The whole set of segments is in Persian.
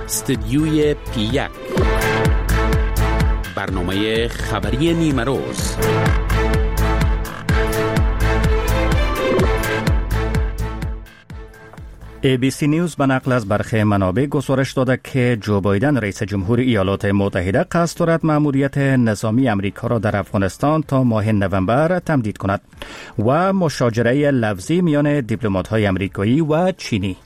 استدیوی پی 1، برنامه خبری نیمه روز. ABC نیوز به نقل از برخی منابع گزارش داده که جو بایدن رئیس جمهور ایالات متحده قصد دارد مأموریت نظامی امریکا را در افغانستان تا ماه نوامبر تمدید کند و مشاجره لفظی میان دیپلمات‌های امریکایی و چینی.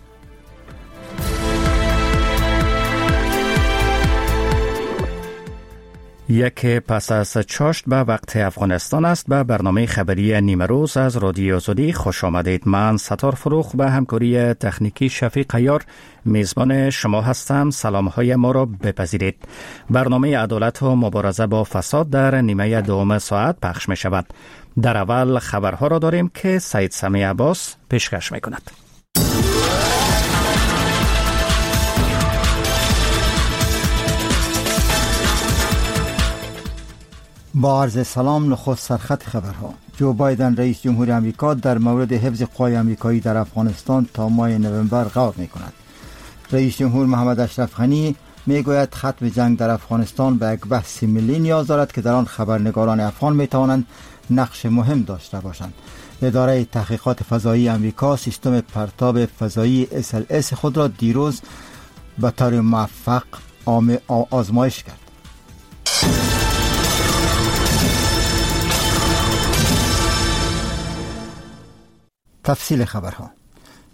یک پس از چاشت به وقت افغانستان است. به برنامه خبری نیمه روز از رادیو آزادی خوش آمدید. من ستار فروخ به همکاری تکنیکی شفیق قیار میزبان شما هستم. سلام های ما را بپذیرید. برنامه عدالت و مبارزه با فساد در نیمه دوم ساعت پخش می شود. در اول خبرها را داریم که سید سمیع عباس پیشکش می کند. با عرض سلام، نخست سرخط خبرها. جو بایدن رئیس جمهور آمریکا در مورد حفظ قوای آمریکایی در افغانستان تا ماه نوامبر غور می‌کند. رئیس جمهور محمد اشرف غنی میگوید ختم جنگ در افغانستان به یک بحث ملی نیاز دارد که در آن خبرنگاران افغان می‌توانند نقش مهم داشته باشند. اداره تحقیقات فضایی آمریکا سیستم پرتاب فضایی SLS خود را دیروز به طور موفق آزمایش کرد. تفصیل خبرها.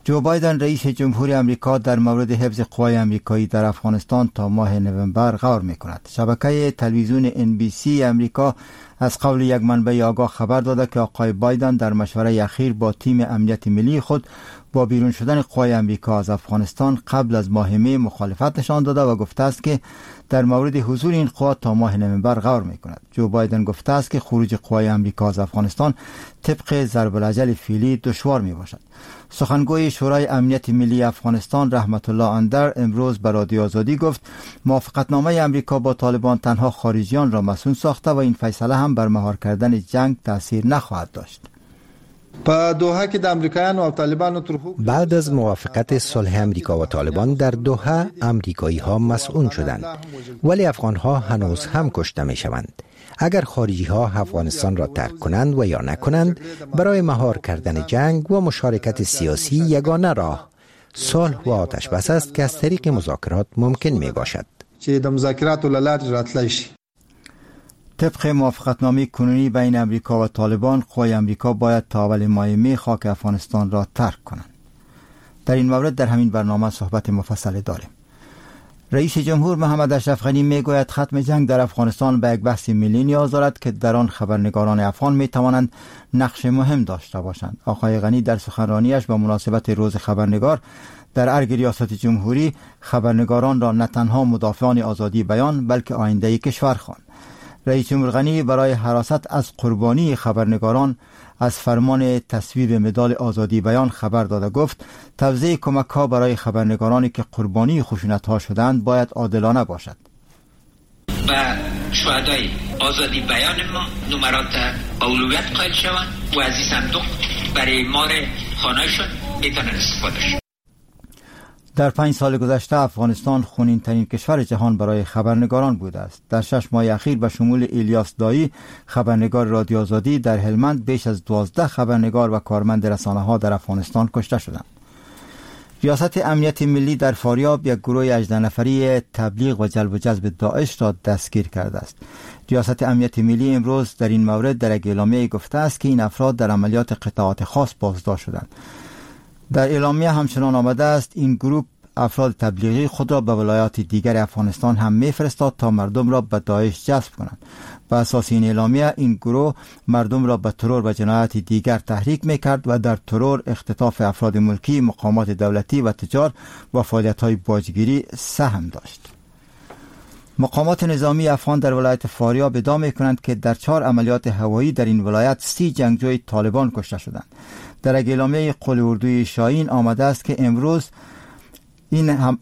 جو بایدن رئیس جمهور آمریکا در مورد حفظ قوای آمریکایی در افغانستان تا ماه نوامبر غور می‌کند. شبکه تلویزیون NBC آمریکا از قول یک منبع آگاه خبر داده که آقای بایدن در مشوره اخیر با تیم امنیت ملی خود با بیرون شدن قوای آمریکا از افغانستان قبل از ماه می مخالفت نشان داده و گفته است که در مورد حضور این قوا تا ماه نوامبر غور می‌کند. جو بایدن گفته است که خروج قوای آمریکا از افغانستان طبق ضرب الاجل فعلی دشوار می‌باشد. سخنگوی شورای امنیت ملی افغانستان رحمت الله اندر امروز به رادیو آزادی گفت موافقتنامه آمریکا با طالبان تنها خارجیان را مسئول ساخته و این فیصله هم بر مهار کردن جنگ تاثیر نخواهد داشت. بعد از موافقت صلح امریکا و طالبان در دوحه، امریکایی ها مسئول شدند، ولی افغان ها هنوز هم کشته می شوند. اگر خارجی ها افغانستان را ترک کنند و یا نکنند، برای مهار کردن جنگ و مشارکت سیاسی یگانه راه صلح و آتش بس است که از طریق مذاکرات ممکن می باشد. طبق موافقتنامه کنونی بین امریکا و طالبان، قوای امریکا باید تا اول ماه می خاک افغانستان را ترک کنند. در این مورد در همین برنامه صحبت مفصل داریم. رئیس جمهور محمد اشرف غنی میگوید ختم جنگ در افغانستان به یک بحث ملی نیاز دارد که در آن خبرنگاران افغان می توانند نقش مهم داشته باشند. آقای غنی در سخنرانیش به مناسبت روز خبرنگار در ارگ ریاست جمهوری خبرنگاران را نه تنها مدافعان آزادی بیان بلکه آینده کشور خواند. رئیس جمهور غنی برای حراست از قربانی خبرنگاران از فرمان تصویب مدال آزادی بیان خبر داده گفت توزیع کمک‌ها برای خبرنگارانی که قربانی خشونت‌ها شدند باید عادلانه باشد. و شهدای آزادی بیان ما نمرات اولویت قائل شوند و از این صندوق برای مار خانه‌شون میتونن استفاده شوند. در 5 سال گذشته افغانستان خونین ترین کشور جهان برای خبرنگاران بوده است. در 6 ماه اخیر به شمول الیاس دایی خبرنگار رادیو آزادی در هلمند بیش از 12 خبرنگار و کارمند رسانه ها در افغانستان کشته شدند. ریاست امنیت ملی در فاریاب یک گروه 18 نفری تبلیغ و جلب و جذب داعش را دستگیر کرده است. ریاست امنیت ملی امروز در این مورد در یک اعلامیه گفته است که این افراد در عملیات قطعات خاص بازداشت شدند. در اعلامیه همچنان آمده است این گروه افراد تبلیغی خود را به ولایات دیگر افغانستان هم میفرستاد تا مردم را به داعش جذب کنند. به اساس این اعلامیه این گروه مردم را به ترور و جنایت دیگر تحریک میکرد و در ترور، اختطاف افراد ملکی، مقامات دولتی و تجار و فعالیت‌های باجگیری سهم داشت. مقامات نظامی افغان در ولایت فاریاب ادعا می‌کنند که در 4 عملیات هوایی در این ولایت 30 جنگجوی طالبان کشته شدند. در اعلامیه قول اردوی شاهین آمده است که امروز این هم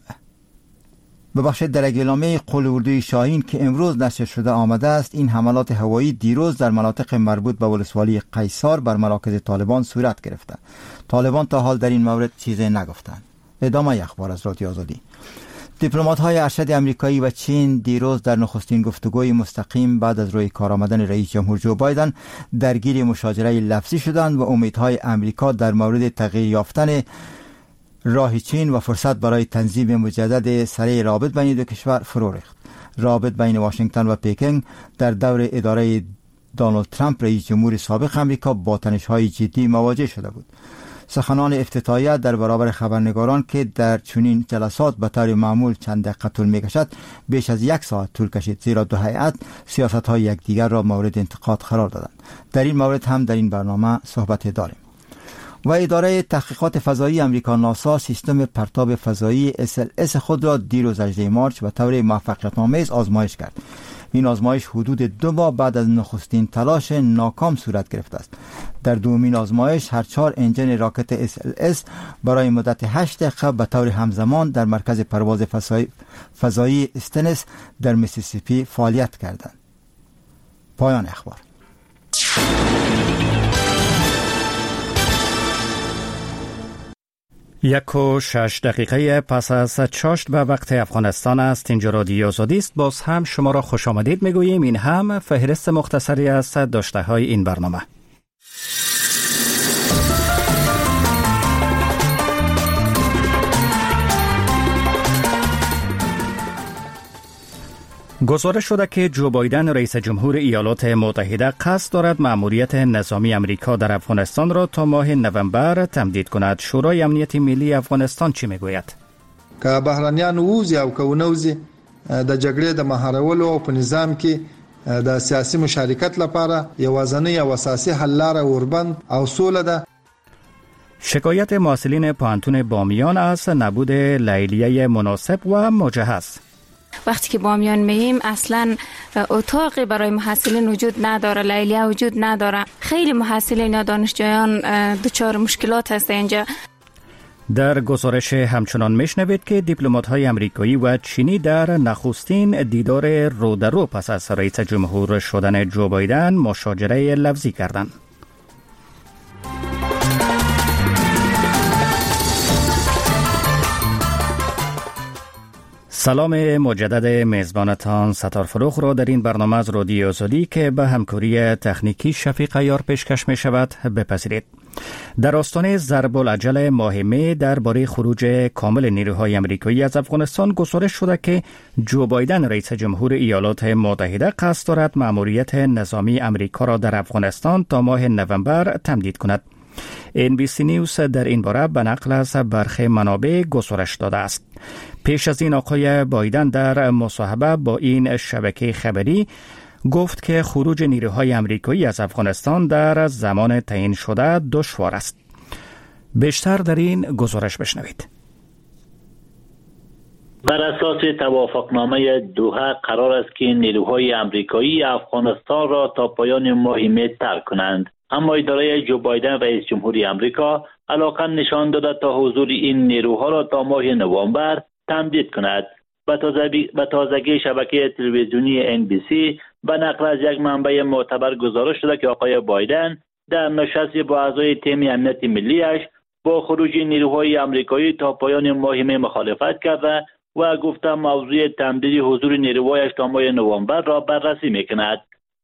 ببخشید در اعلامیه قول اردوی شاهین که امروز نشر شده آمده است این حملات هوایی دیروز در مناطق مربوط به ولسوالی قیصار بر مراکز طالبان صورت گرفته. طالبان تا حال در این مورد چیزی نگفتند. ادامه اخبار از رادیو آزادی. دیپلمات‌های ارشد امریکایی و چین دیروز در نخستین گفتگوی مستقیم بعد از روی کار آمدن رئیس جمهور جو بایدن درگیر مشاجره لفظی شدند و امیدهای امریکا در مورد تغییر یافتن راه چین و فرصت برای تنظیم مجدد سریع رابط بین دو کشور فرو ریخت. رابط بین واشنگتن و پکن در دور اداره دونالد ترامپ رئیس جمهور سابق امریکا با تنش‌های جدی مواجه شده بود. سخنان افتتاحیه در برابر خبرنگاران که در چنین جلسات به طور معمول چند دقیقه طول می‌کشد بیش از یک ساعت طول کشید، زیرا دو هیئت سیاست‌های یکدیگر را مورد انتقاد قرار دادند. در این مورد هم در این برنامه صحبت داریم. و اداره تحقیقات فضایی امریکا ناسا سیستم پرتاب فضایی SLS خود را دیروز 18 مارچ به طور موفقیت‌آمیز آزمایش کرد. این آزمایش حدود 2 ماه بعد از نخستین تلاش ناکام صورت گرفته است. در دومین آزمایش هر 4 انجن راکت SLS برای مدت 8 دقیقه به طور همزمان در مرکز پرواز فضایی استنس در میسیسیپی فعالیت کردند. پایان اخبار. 1:06 پس از چاشت به وقت افغانستان است. اینجا رادیو آزادی است. باز هم شما را خوش آمدید میگوییم. این هم فهرست مختصری از داشته های این برنامه. گزارش شده که جو بایدن رئیس جمهور ایالات متحده قصد دارد مأموریت نظامی امریکا در افغانستان را تا ماه نوامبر تمدید کند. شورای امنیت ملی افغانستان چی میگوید؟ که بهرنیان ووزي او که ونوزي د جګړې د مهارولو او په نظام کې د سیاسي مشارکت لپاره یوازنۍ او اساسي حل لاره اوربند او سوله ده. شکایت محصلین پوهنتون بامیان از نبود لیلیه مناسب و مجهز. وقتی که بامیان مییم اصلا اتاقی برای محصلین وجود نداره، لیلیه وجود نداره. خیلی محصلین یا دانشجویان دچار مشکلات هست اینجا. در گزارش همچنان میشنوید که دیپلمات‌های امریکایی و چینی در نخستین دیدار رو در رو پس از رئیس جمهور شدن جو بایدن مشاجره لفظی کردند. سلام مجدد میزبانتان ستار فروخ را در این برنامه از رادیو آزادی که به همکاری تکنیکی شفیق یار پیشکش می شود بپذیرید. در آستانه ضرب العجل ماه می درباره خروج کامل نیروهای امریکایی از افغانستان گزارش شده که جو بایدن رئیس جمهور ایالات متحده قصد دارد مأموریت نظامی امریکا را در افغانستان تا ماه نوامبر تمدید کند. NBC نیوز در این باره به نقل از برخی منابع گزارش داده است. پیش از این آقای بایدن در مصاحبه با این شبکه خبری گفت که خروج نیروهای امریکایی از افغانستان در زمان تعیین شده دشوار است. بیشتر در این گزارش بشنوید. بر اساس توافقنامه دوحه قرار است که نیروهای امریکایی افغانستان را تا پایان ماه می ترک کنند. اما اداره جو بایدن رئیس جمهوری امریکا علاقه نشان داده تا حضور این نیروها را تا ماه نوامبر تمدید کند. به تازگی شبکه تلویزیونی NBC به نقل از یک منبع معتبر گزارش شده که آقای بایدن در نشست با اعضای تیم امنیت ملیش با خروج نیروهای امریکایی تا پایان ماه می مخالفت کرده و گفته موضوع تمدید حضور نیروهایش تا ماه نوامبر را بررسی میکند.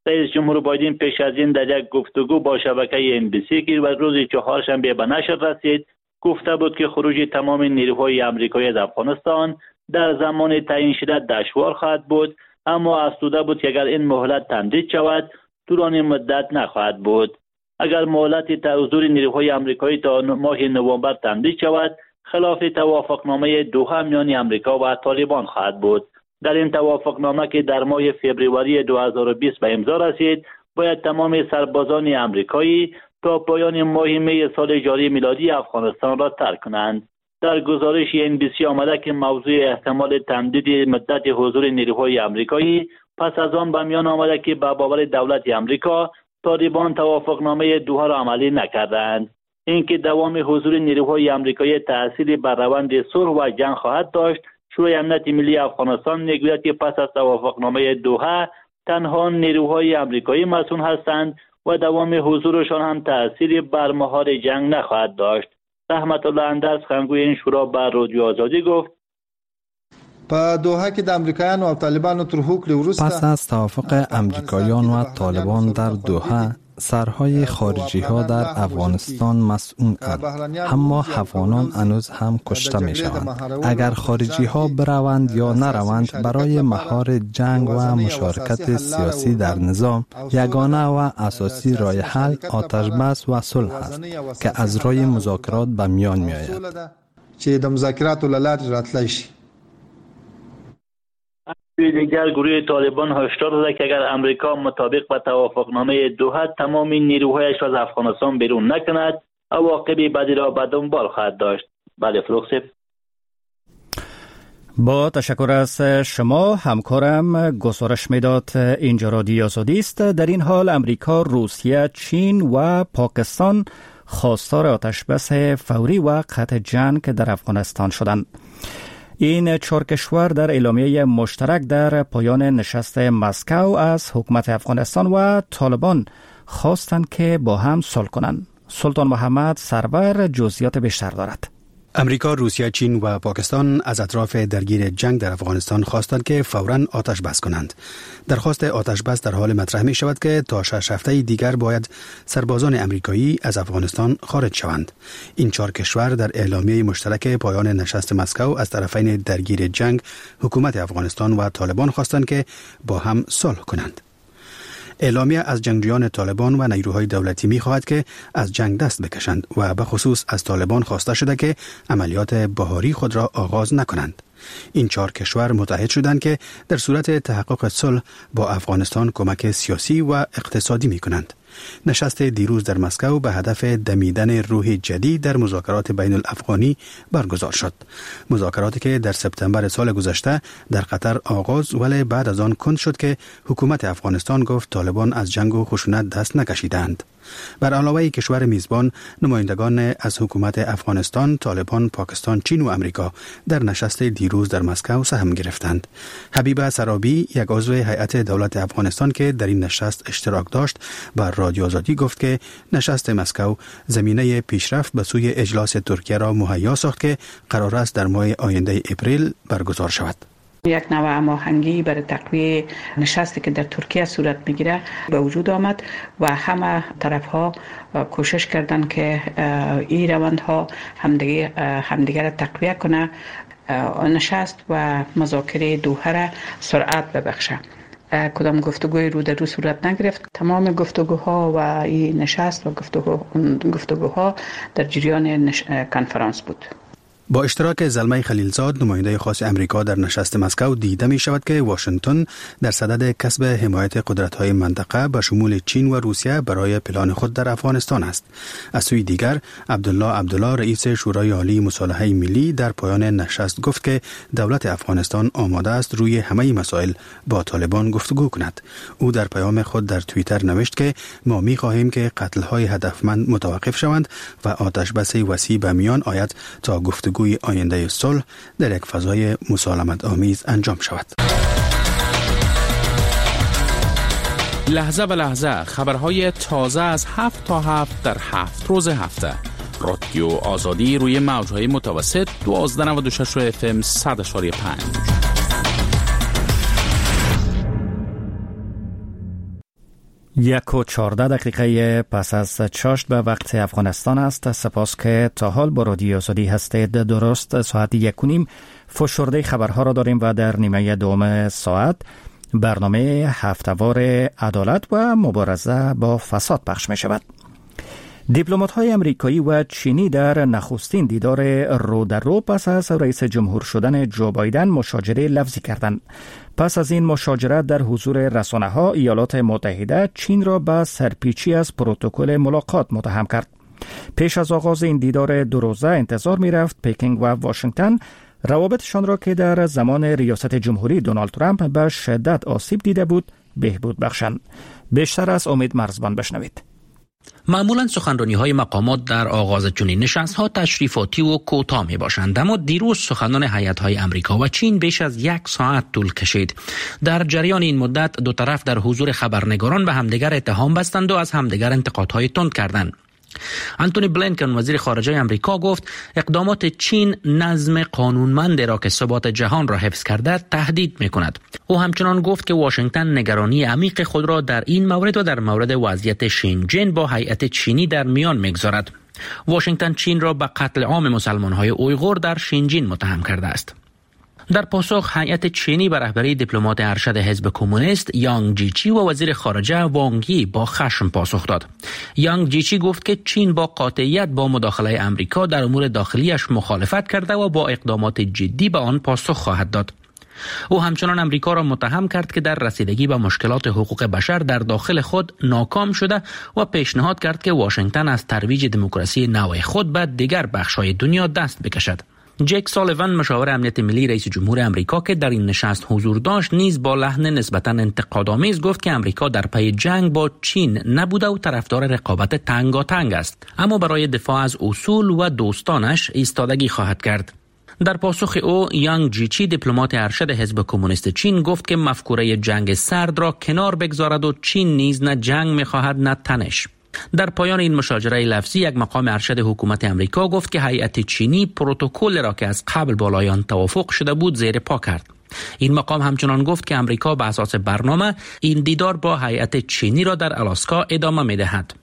رئیس جمهور بایدن پیش از این در یک گفتگو با شبکه NBC که روز چهارشنبه به نشر رسید گفته بود که خروج تمام نیروهای امریکایی از افغانستان در زمان تعیین شده دشوار خواهد بود، اما افزوده بود که اگر این مهلت تمدید شود طولانی مدت نخواهد بود. اگر مهلت حضور نیروهای امریکایی تا ماه نوامبر تمدید شود خلاف توافقنامه دوحه میان امریکا و طالبان خواهد بود. در این توافقنامه که در ماه فوریه 2020 به امضا رسید باید تمام سربازان امریکایی تا پایان ماه می سال جاری میلادی افغانستان را ترک کنند. در گزارش NBC آمده که موضوع احتمال تمدید مدت حضور نیروهای امریکایی پس از آن به میان آمده که به باور دولت امریکا طالبان توافقنامه دوحه را عملی نکردند. اینکه دوام حضور نیروهای امریکایی تأثیری بر روند صلح و جنگ خواهد داشت، شورای امنیت ملی افغانستان میگوید که پس از توافقنامه دوحه تنها نیروهای امریکایی مسئول هستند و دوام حضورشان هم تأثیری بر مهار جنگ نخواهد داشت. رحمت الله اندر سخنگوی این شورا بر رادیو آزادی گفت: په دوحه کې د امریکایانو او طالبانو تر هوکړې وروسته، پس از توافق امریکایان و طالبان در دوحه، سرهای خارجی ها در افغانستان مسئول اند، اما افغانان هنوز هم کشته می شوند. اگر خارجی ها بروند یا نروند، برای مهار جنگ و مشارکت سیاسی در نظام، یگانه و اساسی راه حل آتش بس و صلح است که از راه مذاکرات به میان می آید. چې د مذاکراتو له لارې راتلای شي. دیگر گروه طالبان هشدار داده که اگر امریکا مطابق با توافقنامه دوحه تمام نیروهایش از افغانستان بیرون نکند، عواقب بدی را به دنبال خواهد داشت. بله فروغ. با تشکر از شما، همکارم گزارش میداد. اینجا رادیو آزادی است. در این حال امریکا، روسیه، چین و پاکستان خواستار آتش بس فوری و قطع جنگ در افغانستان شدند. این چهار کشور در اعلامیه مشترک در پایان نشست مسکو از حکومت افغانستان و طالبان خواستند که با هم صلح کنند. سلطان محمد سرور جزئیات بیشتر دارد. امریکا، روسیه، چین و پاکستان از اطراف درگیر جنگ در افغانستان خواستند که فوراً آتش بس کنند. درخواست آتش بس در حال مطرح می شود که تا 6 هفته دیگر باید سربازان امریکایی از افغانستان خارج شوند. این چهار کشور در اعلامیه مشترک پایان نشست مسکو از طرفین درگیر جنگ، حکومت افغانستان و طالبان، خواستند که با هم صلح کنند. اعلامیه از جنگجویان طالبان و نیروهای دولتی می‌خواهد که از جنگ دست بکشند و به خصوص از طالبان خواسته شده که عملیات بهاری خود را آغاز نکنند. این چهار کشور متعهد شدند که در صورت تحقق صلح با افغانستان کمک سیاسی و اقتصادی می کنند. نشست دیروز در مسکو به هدف دمیدن روح جدید در مذاکرات بین الافغانی برگزار شد. مذاکراتی که در سپتامبر سال گذشته در قطر آغاز ولی بعد از آن کند شد که حکومت افغانستان گفت طالبان از جنگ و خشونت دست نکشیدند. بر علاوه کشور میزبان، نمایندگان از حکومت افغانستان، طالبان، پاکستان، چین و امریکا در نشست دیروز در مسکو سهم گرفتند. حبیبه سرابی، یک عضو هیئت دولت افغانستان که در این نشست اشتراک داشت، بر رادیو آزادی گفت که نشست مسکو زمینه پیشرفت به سوی اجلاس ترکیه را مهیا ساخت که قرار است در ماه آینده اپریل برگزار شود. یک نوع هماهنگی برای تقویه نشستی که در ترکیه صورت میگیره به وجود آمد و همه طرف ها کوشش کردند که این روندها همدیگر را تقویه کنه، نشست و مذاکره دوحه را سرعت ببخشه. کدام گفتگوی رو در رو صورت نگرفت. تمام گفتگوها و این نشست و گفتگوها در جریان کنفرانس بود. با اشتراک زلمی خلیلزاد، نماینده خاص امریکا در نشست مسکو، دیده می شود که واشنگتن در صدد کسب حمایت قدرت‌های منطقه به شمول چین و روسیه برای پلان خود در افغانستان است. از سوی دیگر، عبدالله عبدالله، رئیس شورای عالی مصالحه ملی، در پایان نشست گفت که دولت افغانستان آماده است روی همه مسائل با طالبان گفتگو کند. او در پیام خود در توییتر نوشت که ما می خواهیم که قتل‌های هدفمند متوقف شوند و آتش بس وسیع به میان آید تا گفتگو آینده صلح در یک فضای مسالمت آمیز انجام شود. لحظه به لحظه خبرهای تازه از 7 تا 7 در 7 روز هفته. رادیو آزادی روی موجهای متوسط 1296 FM 100.5. 1:14 پس از چاشت به وقت افغانستان است. سپاس که تا حال با رادیو آزادی هستید. درست ساعت 1:30 فشرده خبرها را داریم و در نیمه دوم ساعت برنامه هفته‌وار عدالت و مبارزه با فساد پخش می شود. دیپلمات‌های امریکایی و چینی در نخستین دیدار رو در رو پس از رئیس جمهور شدن جو بایدن مشاجره لفظی کردند. پس از این مشاجره در حضور رسانه‌ها، ایالات متحده چین را به سرپیچی از پروتکل ملاقات متهم کرد. پیش از آغاز این دیدار دو روزه انتظار می‌رفت پکینگ و واشنگتن روابطشان را که در زمان ریاست جمهوری دونالد ترامپ به شدت آسیب دیده بود بهبود بخشند. بیشتر از امید مرزبان بشنوید. معمولا سخنرانی‌های مقامات در آغاز چنین نشست‌ها تشریفاتی و کوتاه می‌باشند، اما دیروز سخنان هیئت‌های امریکا و چین بیش از 1 ساعت طول کشید. در جریان این مدت دو طرف در حضور خبرنگاران به همدیگر اتهام بستند و از همدیگر انتقادهای تند کردند. انتونی بلینکن وزیر خارجه امریکا گفت اقدامات چین نظم قانونمند را که ثبات جهان را حفظ کرده تهدید می‌کند. او همچنان گفت که واشنگتن نگرانی عمیق خود را در این مورد و در مورد وضعیت شینجن با هیئت چینی در میان می‌گذارد. واشنگتن چین را به قتل عام مسلمان‌های اویغور در شینجین متهم کرده است. در پاسخ هیئت چینی به رهبری دیپلمات ارشد حزب کمونیست یانگ جیچی و وزیر خارجه وانگ یی با خشم پاسخ داد. یانگ جیچی گفت که چین با قاطعیت با مداخله امریکا در امور داخلیش مخالفت کرده و با اقدامات جدی به آن پاسخ خواهد داد. او همچنان امریکا را متهم کرد که در رسیدگی به مشکلات حقوق بشر در داخل خود ناکام شده و پیشنهاد کرد که واشنگتن از ترویج دموکراسی نوع خود به دیگر بخش‌های دنیا دست بکشد. جک سالیوان مشاور امنیت ملی رئیس جمهور امریکا که در این نشست حضور داشت نیز با لحن نسبتاً انتقادآمیز گفت که امریکا در پی جنگ با چین نبوده و طرفدار رقابت تنگاتنگ است، اما برای دفاع از اصول و دوستانش ایستادگی خواهد کرد. در پاسخ او یانگ جیچی دیپلمات ارشد حزب کمونیست چین گفت که مفکوره جنگ سرد را کنار بگذارد و چین نیز نه جنگ می‌خواهد نه تنش. در پایان این مشاجره لفظی یک مقام ارشد حکومت امریکا گفت که هیئت چینی پروتکل را که از قبل بالای آن توافق شده بود زیر پا کرد. این مقام همچنان گفت که امریکا به اساس برنامه این دیدار با هیئت چینی را در الاسکا ادامه می‌دهد.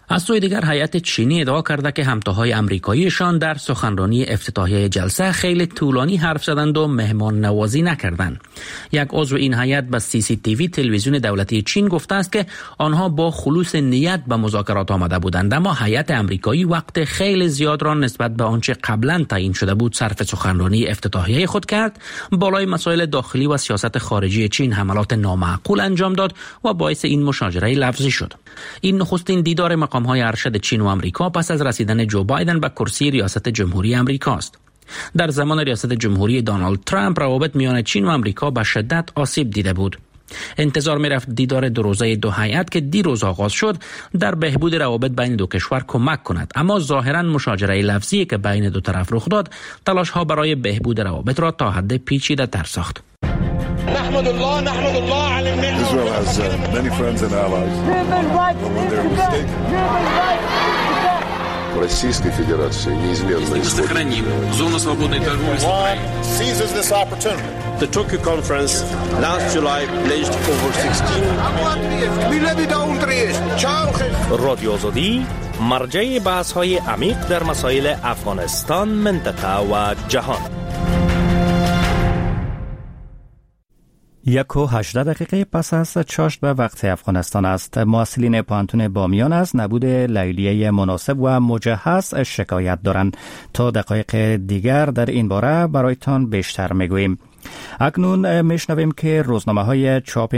از سوی دیگر هیئت چینی ادعا کرده که همتاهای امریکاییشان در سخنرانی افتتاحیه جلسه خیلی طولانی حرف زدند و مهمان نوازی نکردند. یک عضو این هیئت به CCTV تلویزیون دولتی چین گفته است که آنها با خلوص نیت به مذاکرات آمده بودند، اما هیئت امریکایی وقت خیلی زیاد را نسبت به آنچه قبلا تعیین شده بود صرف سخنرانی افتتاحیه خود کرد، بالای مسائل داخلی و سیاست خارجی چین حملات نامعقول انجام داد و باعث این مشاجره لفظی شد. این نخستین دیدار مقام‌های ارشد چین و امریکا پس از رسیدن جو بایدن به کرسی ریاست جمهوری امریکا است. در زمان ریاست جمهوری دونالد ترامپ روابط میان چین و امریکا به شدت آسیب دیده بود. انتظار می‌رفت دیدار دو روزه دو هیئت که دیروز آغاز شد در بهبود روابط بین دو کشور کمک کند، اما ظاهراً مشاجره لفظی که بین دو طرف رخ داد تلاش‌ها برای بهبود روابط را تا حد پیچیده‌تر ساخت. Israel has many friends and allies. But when they're mistaken, Российской Федерации неизменно исходит. Зону свободной торговли с Украиной. The Tokyo conference last July pledged over 16. رادیو آزادی مرجع بحث‌های عمیق در مسائل افغانستان، منطقه و جهان. 1:18 پس از چاشت به وقت افغانستان است. محصلین پوهنتون بامیان از نبود لیلیه مناسب و مجهز شکایت دارند. تا دقایق دیگر در این باره برایتان بیشتر میگوییم. اکنون میشنویم که روزنامه‌های چاپ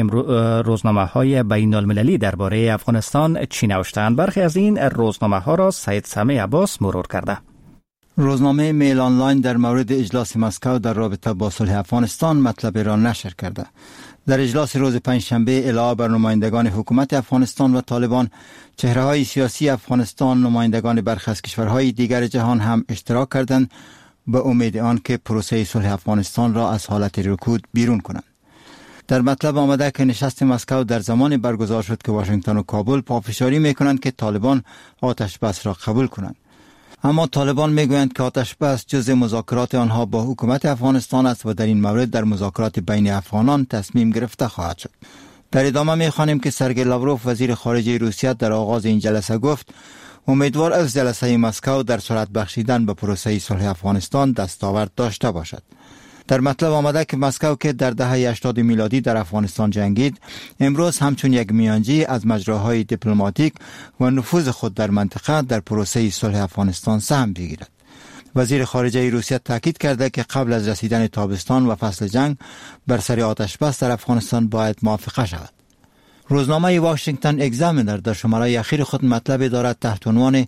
روزنامه‌های بین المللی درباره افغانستان چی نوشتند. برخی از این روزنامه‌ها را سید سمیع عباس مرور کرده. روزنامه میل آنلاین در مورد اجلاس مسکو در رابطه با صلح افغانستان مطلب را نشر کرده. در اجلاس روز پنجشنبه علاوه بر نمایندگان حکومت افغانستان و طالبان، چهره‌های سیاسی افغانستان، نمایندگان برخی از کشورهای دیگر جهان هم اشتراک کردند به امید آن که پروسه صلح افغانستان را از حالت رکود بیرون کنند. در مطلب آمده که نشست مسکو در زمان برگزار شد که واشنگتن و کابل پافشاری می‌کنند که طالبان آتش بس را قبول کنند. اما طالبان میگویند که آتش بس جزء مذاکرات آنها با حکومت افغانستان است و در این مورد در مذاکرات بین افغانان تصمیم گرفته خواهد شد. در ادامه میخوانیم که سرگئی لاوروف وزیر خارجه روسیه در آغاز این جلسه گفت امیدوار از جلسه مسکو در سرعت بخشیدن به پروسه صلح افغانستان دستاورد داشته باشد. در مطلب آمده که مسکو که در دهه 80 میلادی در افغانستان جنگید، امروز همچون یک میانجی از مجراهای دیپلماتیک و نفوذ خود در منطقه در پروسه صلح افغانستان سهم بگیرد. وزیر خارجه روسیه تاکید کرده که قبل از رسیدن تابستان و فصل جنگ بر سر آتش بس در افغانستان باید موافقه شود. روزنامه واشنگتن اگزامینر در شماره اخیر خود مطلب دارد تحت عنوان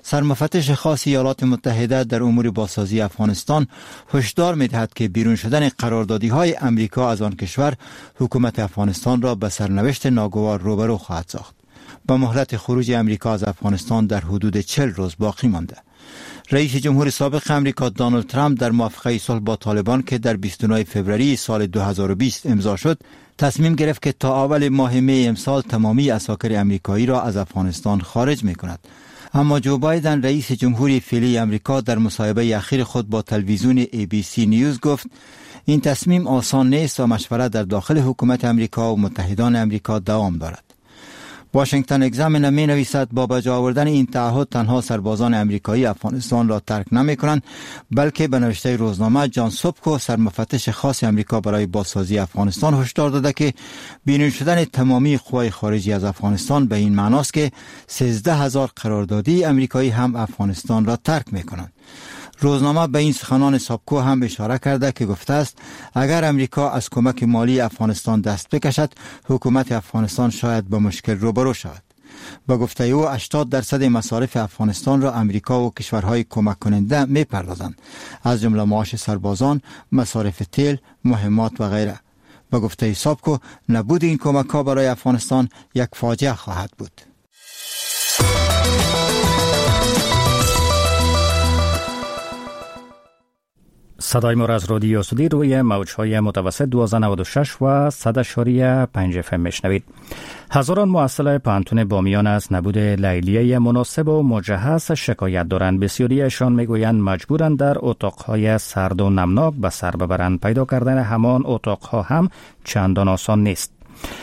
سرمفتش خاص ایالات متحده در امور بازسازی افغانستان هشدار می‌دهد که بیرون شدن قراردادی‌های امریکا از آن کشور حکومت افغانستان را به سرنوشت ناگوار روبرو خواهد ساخت. با مهلت خروج امریکا از افغانستان در حدود 40 روز باقی مانده. رئیس جمهور سابق امریکا دونالد ترامپ در موافقه صلح با طالبان که در 29 فوریه سال 2020 امضا شد، تصمیم گرفت که تا اول ماه می امسال تمامی عساکر امریکایی را از افغانستان خارج می کند. اما جو بایدن، رئیس جمهوری فعلی امریکا، در مصاحبه اخیر خود با تلویزیون ABC News گفت این تصمیم آسان نیست و مشورت در داخل حکومت امریکا و متحدان امریکا دوام دارد. واشنگتن اگزامینر می نویسد با بجا آوردن این تعهد تنها سربازان امریکایی افغانستان را ترک نمی کنند، بلکه به نوشته روزنامه جان سوپکو، سرمفتش خاص امریکا برای بازسازی افغانستان، هشدار داده که بیرون شدن تمامی قوای خارجی از افغانستان به این معناست که 13,000 قراردادی امریکایی هم افغانستان را ترک می کنند. روزنامه به این سخنان ساپکو هم اشاره کرده که گفته است اگر امریکا از کمک مالی افغانستان دست بکشد، حکومت افغانستان شاید با مشکل روبرو شود. به گفته او 80% مصارف افغانستان را امریکا و کشورهای کمک کننده می پردازند، از جمله معاش سربازان، مصارف تیل، مهمات و غیره. به گفته ساپکو نبود این کمک ها برای افغانستان یک فاجعه خواهد بود. صدای ما از رادیو آزادی روی موج‌های متوسط 1296 و 100.5 FM میشنوید. هزاران محصل پوهنتون بامیان از نبود لیلیه مناسب و مجهز شکایت دارند. بسیاریشان میگویند مجبورند در اتاق‌های سرد و نمناک به سر ببرند. پیدا کردن همان اتاق‌ها هم چندان آسان نیست.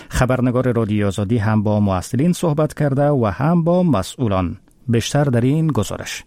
خبرنگار رادیو آزادی هم با محصلین صحبت کرده و هم با مسئولان. بیشتر در این گزارش.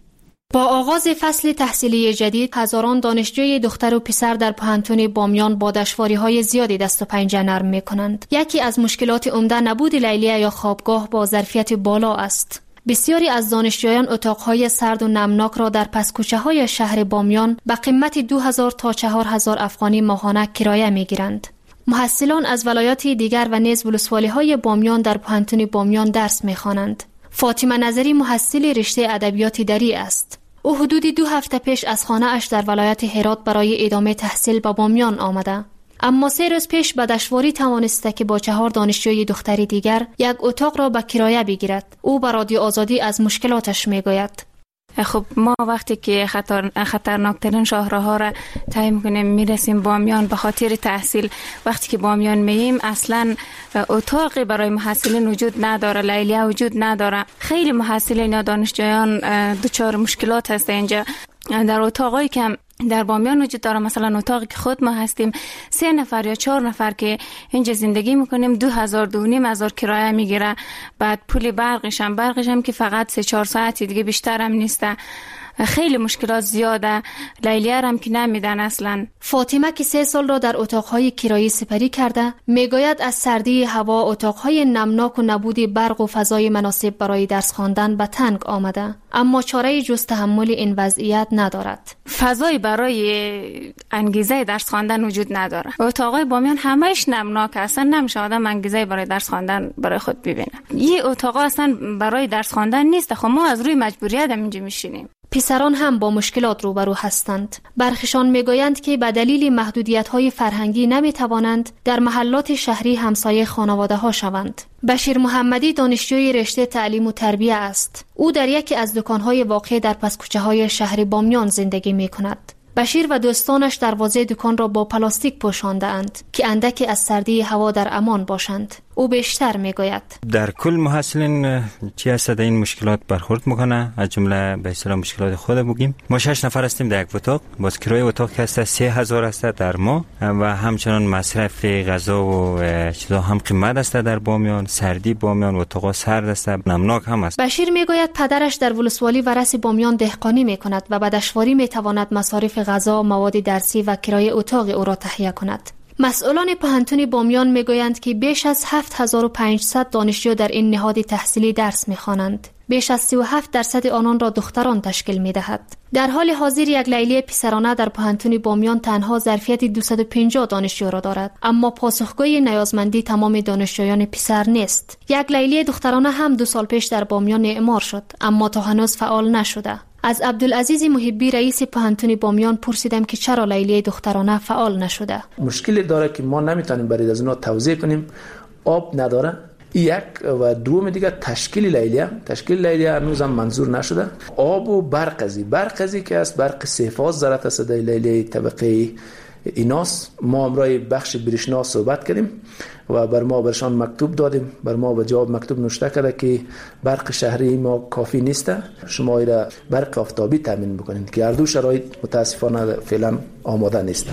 با آغاز فصل تحصیلی جدید، هزاران دانشجوی دختر و پسر در پوهنتون بامیان با دشواری‌های زیادی دست و پنجه نرم می‌کنند. یکی از مشکلات عمده نبود لیلیه یا خوابگاه با ظرفیت بالا است. بسیاری از دانشجویان اتاق‌های سرد و نمناک را در پس کوچه‌های شهر بامیان به قیمت 2000 تا 4000 افغانی ماهانه کرایه می‌گیرند. محصلان از ولایات دیگر و نیز ولسوالی‌های بامیان در پوهنتون بامیان درس می‌خوانند. فاطمه نظری محصل رشته ادبیات دری است. او حدود 2 هفته پیش از خانه اش در ولایت هرات برای ادامه تحصیل به بامیان آمده. اما 3 روز پیش به دشواری توانسته که با 4 دانشجوی دختری دیگر یک اتاق را به کرایه بگیرد. او به رادیو آزادی از مشکلاتش میگوید. خب ما وقتی که خطرناکترین شاهراها را طی میکنیم میرسیم بامیان به خاطر تحصیل. وقتی که بامیان مییم اصلا اتاقی برای محصلین وجود نداره، لیلیه وجود نداره. خیلی محصلین یا دانشجویان دچار مشکلات هست اینجا. در اتاقایی که در بامیان وجود داره، مثلا اتاقی که خود ما هستیم 3 نفر یا 4 نفر که اینجا زندگی میکنیم، 2000 2500 کرایه میگیره. بعد پول برقش هم که فقط 3-4 ساعتی دیگه بیشتر هم نیسته. خیلی مشکلات زیاده. لیلیه هم که نمیدن اصلا. فاطمه که 3 سال را در اتاقهای کرایه سپری کرده میگوید از سردی هوا، اتاقهای نمناک و نبود برق و فضای مناسب برای درس خواندن به تنگ آمده، اما چاره جز تحمل این وضعیت ندارد. فضای برای انگیزه درس خواندن وجود نداره. اتاقای بامیان همش نمناک، اصلا نمیشه آدم انگیزه برای درس خواندن برای خود ببینه. یه اتاق اصلا برای درس خواندن نیست. خب ما از روی مجبوریت اینجا میشینیم. پسران هم با مشکلات روبرو هستند. برخشان میگویند که به دلیل محدودیت‌های فرهنگی نمیتوانند در محلات شهری همسایه خانواده‌ها شوند. بشیر محمدی دانشجوی رشته تعلیم و تربیه است. او در یکی از دکان‌های واقع در پس کوچه‌های شهر بامیان زندگی می‌کند. بشیر و دوستانش دروازه دکان را با پلاستیک پوشانده‌اند که اندکی از سردی هوا در امان باشند. او بیشتر میگوید: در کل محصلین چی هست در این مشکلات برخورد میکنه، از جمله به اصطلاح مشکلات خود بگیم. ما 6 نفر هستیم در یک اتاق، باز کرایه اتاق که هست 3000 است در ماه و همچنان مصرف غذا و چیزا هم قیمت است در بامیان. سردی بامیان، اتاق سرد است، نمناک هم است. بشیر میگوید پدرش در ولسوالی ورس بامیان دهقانی میکند و به دشواری میتواند مصارف غذا، مواد درسی و کرایه اتاق او را تهیه کند. مسئولان پوهنتون بامیان میگویند که بیش از 7500 دانشجو در این نهاد تحصیلی درس میخوانند. بیش از 37% آنان را دختران تشکیل میدهد. در حال حاضر یک لیلیه پسرانه در پوهنتون بامیان تنها ظرفیت 250 دانشجو را دارد، اما پاسخگوی نیازمندی تمام دانشجویان پسر نیست. یک لیلیه دخترانه هم 2 سال پیش در بامیان اعمار شد، اما تا هنوز فعال نشده. از عبدالعزیز محبی رئیس پوهنتون بامیان پرسیدم که چرا لیلیه دخترانه فعال نشده. مشکل داره که ما نمیتونیم برای از اونا توزیع کنیم، آب نداره. یک و دوم دیگه تشکیل لیلیه هنوز هم منظور نشده. آب و برق ازی که است، برق سه فاز ضرورت است در لیلیه طبقه ایناس. ما همراه بخش برشنا صحبت کردیم و بر ما برشان مکتوب دادیم، بر ما به جواب مکتوب نوشته کرده که برق شهری ما کافی نیست، شما را برق آفتابی تامین بکنید که هر دو شرایط متاسفانه فعلا آماده نیست.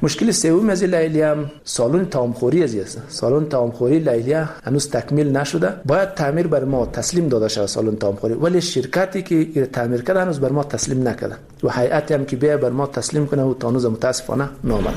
مشکل سوم از لیلیه هم سالن طعامخوری است. سالن طعامخوری لیلیه هنوز تکمیل نشده، باید تعمیر بر ما تسلیم داده شود سالن طعامخوری، ولی شرکتی که تعمیر کرده هنوز بر ما تسلیم نکرده و هیئتی هم که بیا بر ما تسلیم کنه و تا هنوز متاسفانه نامده.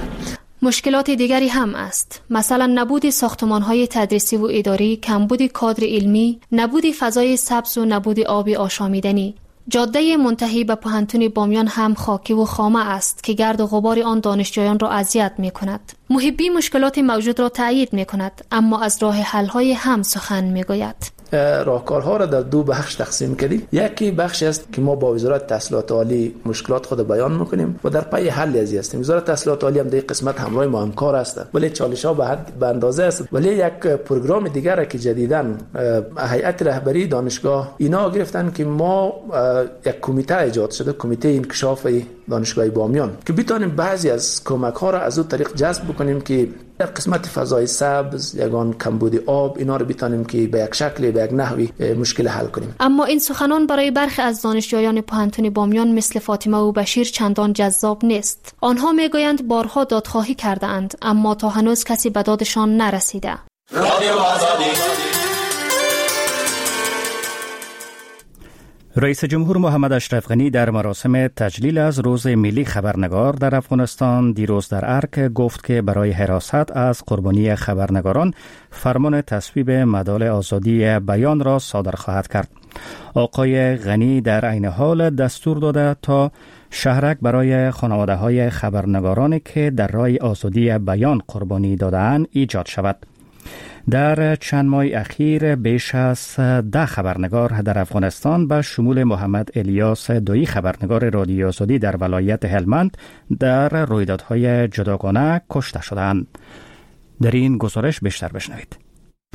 مشکلات دیگری هم است، مثلا نبود ساختمان‌های تدریسی و اداری، کمبود کادر علمی، نبود فضای سبز و نبود آب آشامیدنی. جاده منتهی به پوهنتون بامیان هم خاکی و خامه است که گرد و غبار آن دانشجویان را اذیت می‌کند. محبی مشکلات موجود را تایید می‌کند، اما از راه حل‌های هم سخن می‌گوید. راهکارها را در دو بخش تقسیم کردیم. یکی بخش است که ما با وزارت تحصیلات عالی مشکلات خود بیان میکنیم و در پی حل ازی هستیم. وزارت تحصیلات عالی هم در قسمت همراه ما همکار است، ولی چالش ها به حد به اندازه است. ولی یک پروگرام دیگر که جدیداً هیئت رهبری دانشگاه اینا گرفتن که ما یک کمیته ایجاد شده، کمیته انکشاف دانشگاه بامیان، که بتونیم بعضی از کمک ها را از اون طریق جذب بکنیم که در قسمت فضای سبز، یگان کمبود آب، اینا رو بتونیم که به یک شکل، به یک نحوی مشکل حل کنیم. اما این سخنان برای برخی از دانشجویان پوهنتون بامیان مثل فاطمه و بشیر چندان جذاب نیست. آنها میگویند بارها دادخواهی کرده اند، اما تا هنوز کسی به دادشان نرسیده. رئیس جمهور محمد اشرف غنی در مراسم تجلیل از روز ملی خبرنگار در افغانستان دیروز در ارک گفت که برای حراست از قربانی خبرنگاران فرمان تصویب مدال آزادی بیان را صادر خواهد کرد. آقای غنی در عین حال دستور داده تا شهرک برای خانواده های خبرنگارانی که در راه آزادی بیان قربانی داده‌اند ایجاد شود. در چند ماه اخیر بیش از 10 خبرنگار در افغانستان به شمول محمد الیاس دویی خبرنگار رادیو آزادی در ولایت هلمند در رویدادهای جداگانه کشته شدند. در این گزارش بیشتر بشنوید.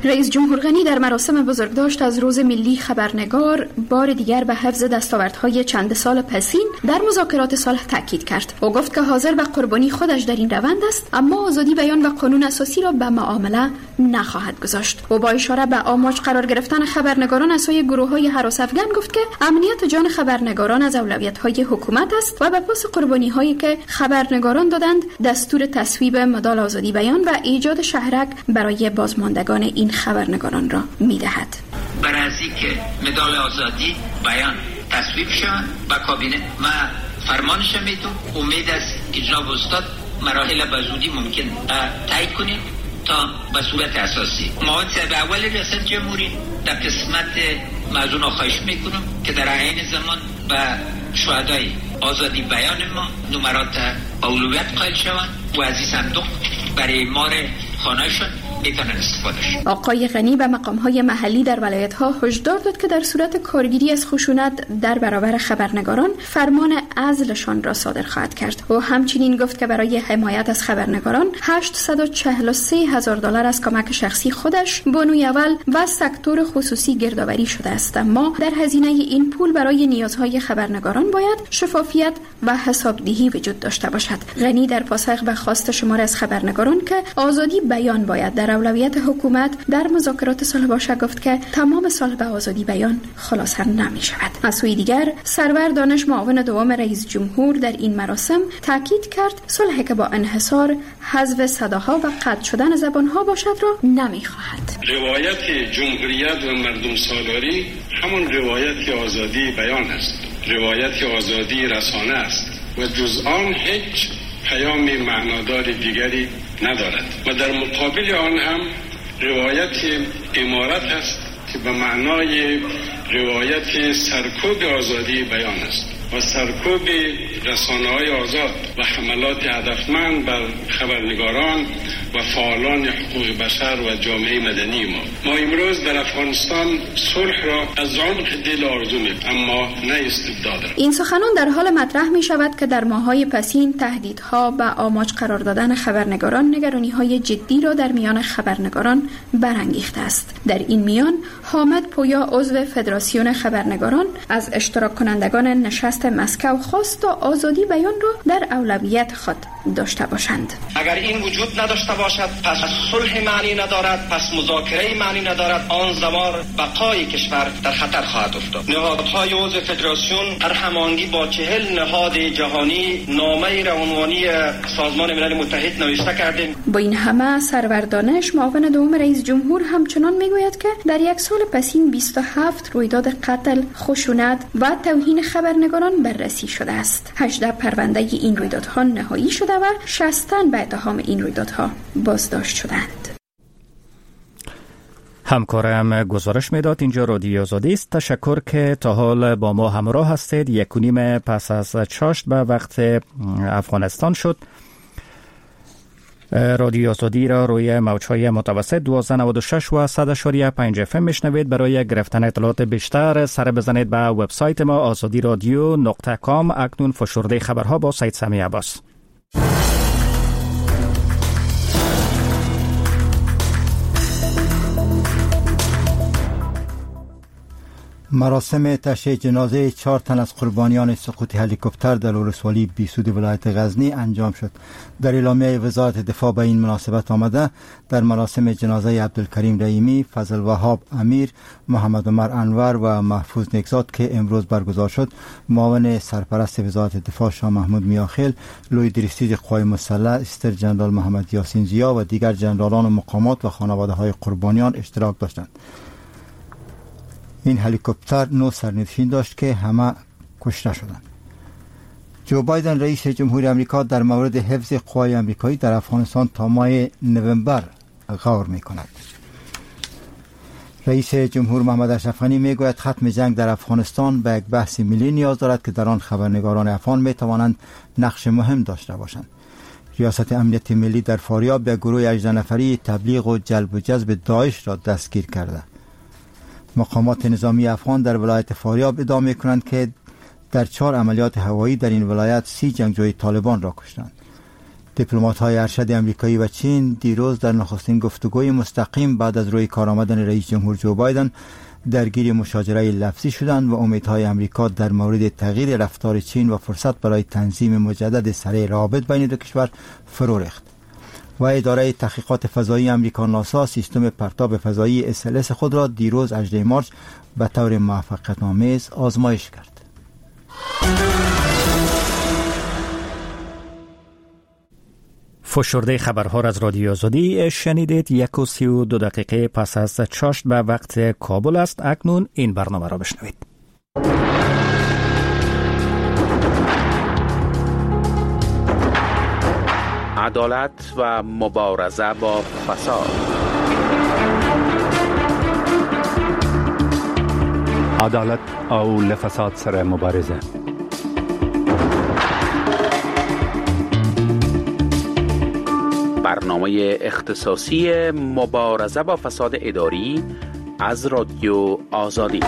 رئیس جمهور غنی در مراسم بزرگداشت از روز ملی خبرنگار بار دیگر به حفظ دستاوردهای چند سال پسین در مذاکرات صلح تاکید کرد. او گفت که حاضر به قربانی خودش در این روند است، اما آزادی بیان و قانون اساسی را به معامله نخواهد گذاشت. او با اشاره به آماج قرار گرفتن خبرنگاران از سوی گروه‌های هراس افگن گفت که امنیت جان خبرنگاران از اولویت‌های حکومت است و به پاس قربانی‌هایی که خبرنگاران دادند دستور تصویب مدال آزادی بیان و ایجاد شهرک برای بازماندگان این خبرنگاران را میدهد. برای از اینکه مدال آزادی بیان تصویب شود و کابینه ما فرمانش میتون، امید است که جناب استاد مراحل به زودی ممکن تایید کنید تا به صورت اساسی. معاون صاحب اول ریاست جمهوری در قسمت موضوع خواهش میکنم که در عین زمان به شهدای آزادی بیان ما نمرات اولویت قائل شوند و از این صندوق برای مار خانهشون آقای غنی به مقام‌های محلی در ولایت‌ها هشدار داد که در صورت کارگیری از خشونت در برابر خبرنگاران فرمان عزلشان را صادر خواهد کرد. او همچنین گفت که برای حمایت از خبرنگاران 843,000 دلار از کمک شخصی خودش، بانوی اول و سکتور خصوصی گردآوری شده است، اما در هزینه این پول برای نیازهای خبرنگاران باید شفافیت و حسابدهی وجود داشته باشد. غنی در پاسخ به خواست شمار از خبرنگاران که آزادی بیان باید در اولویت حکومت در مذاکرات صلح باشد گفت که تمام صلح به آزادی بیان خلاصه نمی شود. از سوی دیگر سرور دانش معاون دوم رئیس جمهور در این مراسم تاکید کرد صلح که با انحصار، حذف صداها و قطع شدن زبانها باشد را نمی خواهد. روایت جمهوریت و مردم سالاری همان روایت آزادی بیان است، روایت آزادی رسانه است و جز آن هیچ پیام معنادار دیگری ندارد و در مقابل آن هم روایت امارت است که به معنای روایت سرکوب آزادی بیان است و سرکوب رسانه‌های آزاد و حملات هدفمند بر خبرنگاران و فعالان حقوق بشر و جامعه مدنی ما امروز در افغانستان صلح را از عمق دل آرزو می‌کنیم، اما نه استبداد را. این سخنان در حال مطرح می شود که در ماه‌های پسین تهدیدها و آماج قرار دادن خبرنگاران نگرانی‌های جدی را در میان خبرنگاران برانگیخته است. در این میان حامد پویا عضو فدراسیون خبرنگاران از اشتراک کنندگان نشست مسکو خواست تا آزادی بیان را در اولویت خود داشته باشند. اگر این وجود نداشته باشد پس صلح معنی ندارد، پس مذاکره معنی ندارد، آن زمان بقای کشور در خطر خواهد افتاد. نهادهای عضو فدراسیون در هماهنگی با 40 نهاد جهانی نامه روانی سازمان ملل متحد نوشته کردیم. با این همه سرور دانش معاون دوم رئیس جمهور همچنان میگوید که در یک سال پسین 27 رویداد قتل، خشونت و توهین خبرنگاران بررسی شده است. 18 پرونده این رویدادها نهایی شده و 60 تن به اتهام این رویدادها بازداشت شدند. همکارم گزارش میداد. اینجا رادیو آزادی است. تشکر که تا حال با ما همراه هستید. 1:30 پس از چاشت به وقت افغانستان شد. رادیو آزادی را روی موج‌های متوسط 1296 و 100.5 FM میشنوید. برای گرفتن اطلاعات بیشتر سر بزنید به وبسایت ما azadiradio.com. اکنون فشرده خبرها با سید سمی عباس. مراسم تشییع جنازه 4 تن از قربانیان سقوط هلیکوپتر در ولسوالی بیسود ولایت غزنی انجام شد. در اعلامیه وزارت دفاع به این مناسبت آمده در مراسم جنازه عبدالکریم رحیمی، فضل وهاب امیر، محمد عمر انور و محفوظ نیکزاد که امروز برگزار شد، معاون سرپرست وزارت دفاع شاه محمود میاخیل، لوی درستیز قوای مسلح استر جنرال محمد یاسین ضیا و دیگر جنرالان و مقامات و خانواده‌های قربانیان اشتراک داشتند. این هلیکوپتر 9 سرنشین داشت که همه کشته شدند. جو بایدن رئیس جمهور آمریکا در مورد حفظ قوای آمریکایی در افغانستان تا ماه نوامبر غور می‌کند. رئیس جمهور محمد اشرف غنی میگوید ختم جنگ در افغانستان به یک بحث ملی نیاز دارد که در آن خبرنگاران افغان می‌توانند نقش مهم داشته باشند. ریاست امنیت ملی در فاریاب به گروه 18 نفری تبلیغ و جلب و جذب داعش را دستگیر کرده. مقامات نظامی افغان در ولایت فاریاب ادعا می‌کنند که در 4 عملیات هوایی در این ولایت 30 جنگجوی طالبان را کشتند. دیپلمات‌های ارشد آمریکایی و چین دیروز در نخستین گفتگوی مستقیم بعد از روی کار آمدن رئیس جمهور جو بایدن درگیر مشاجره لفظی شدند و امیدهای آمریکا در مورد تغییر رفتار چین و فرصت برای تنظیم مجدد سریع روابط بین دو کشور فرو ریخت. و اداره تحقیقات فضایی آمریکا ناسا سیستم پرتاب فضایی SLS خود را دیروز 18 مارس به طور موفقیت‌آمیز آزمایش کرد. فشرده خبرها را از رادیو آزادی شنیدید. 1:32 پس از چاشت به وقت کابل است. اکنون این برنامه را بشنوید. عدالت و مبارزه با فساد. عدالت او له فساد سره مبارزه. برنامه اختصاصی مبارزه با فساد اداری از رادیو آزادی.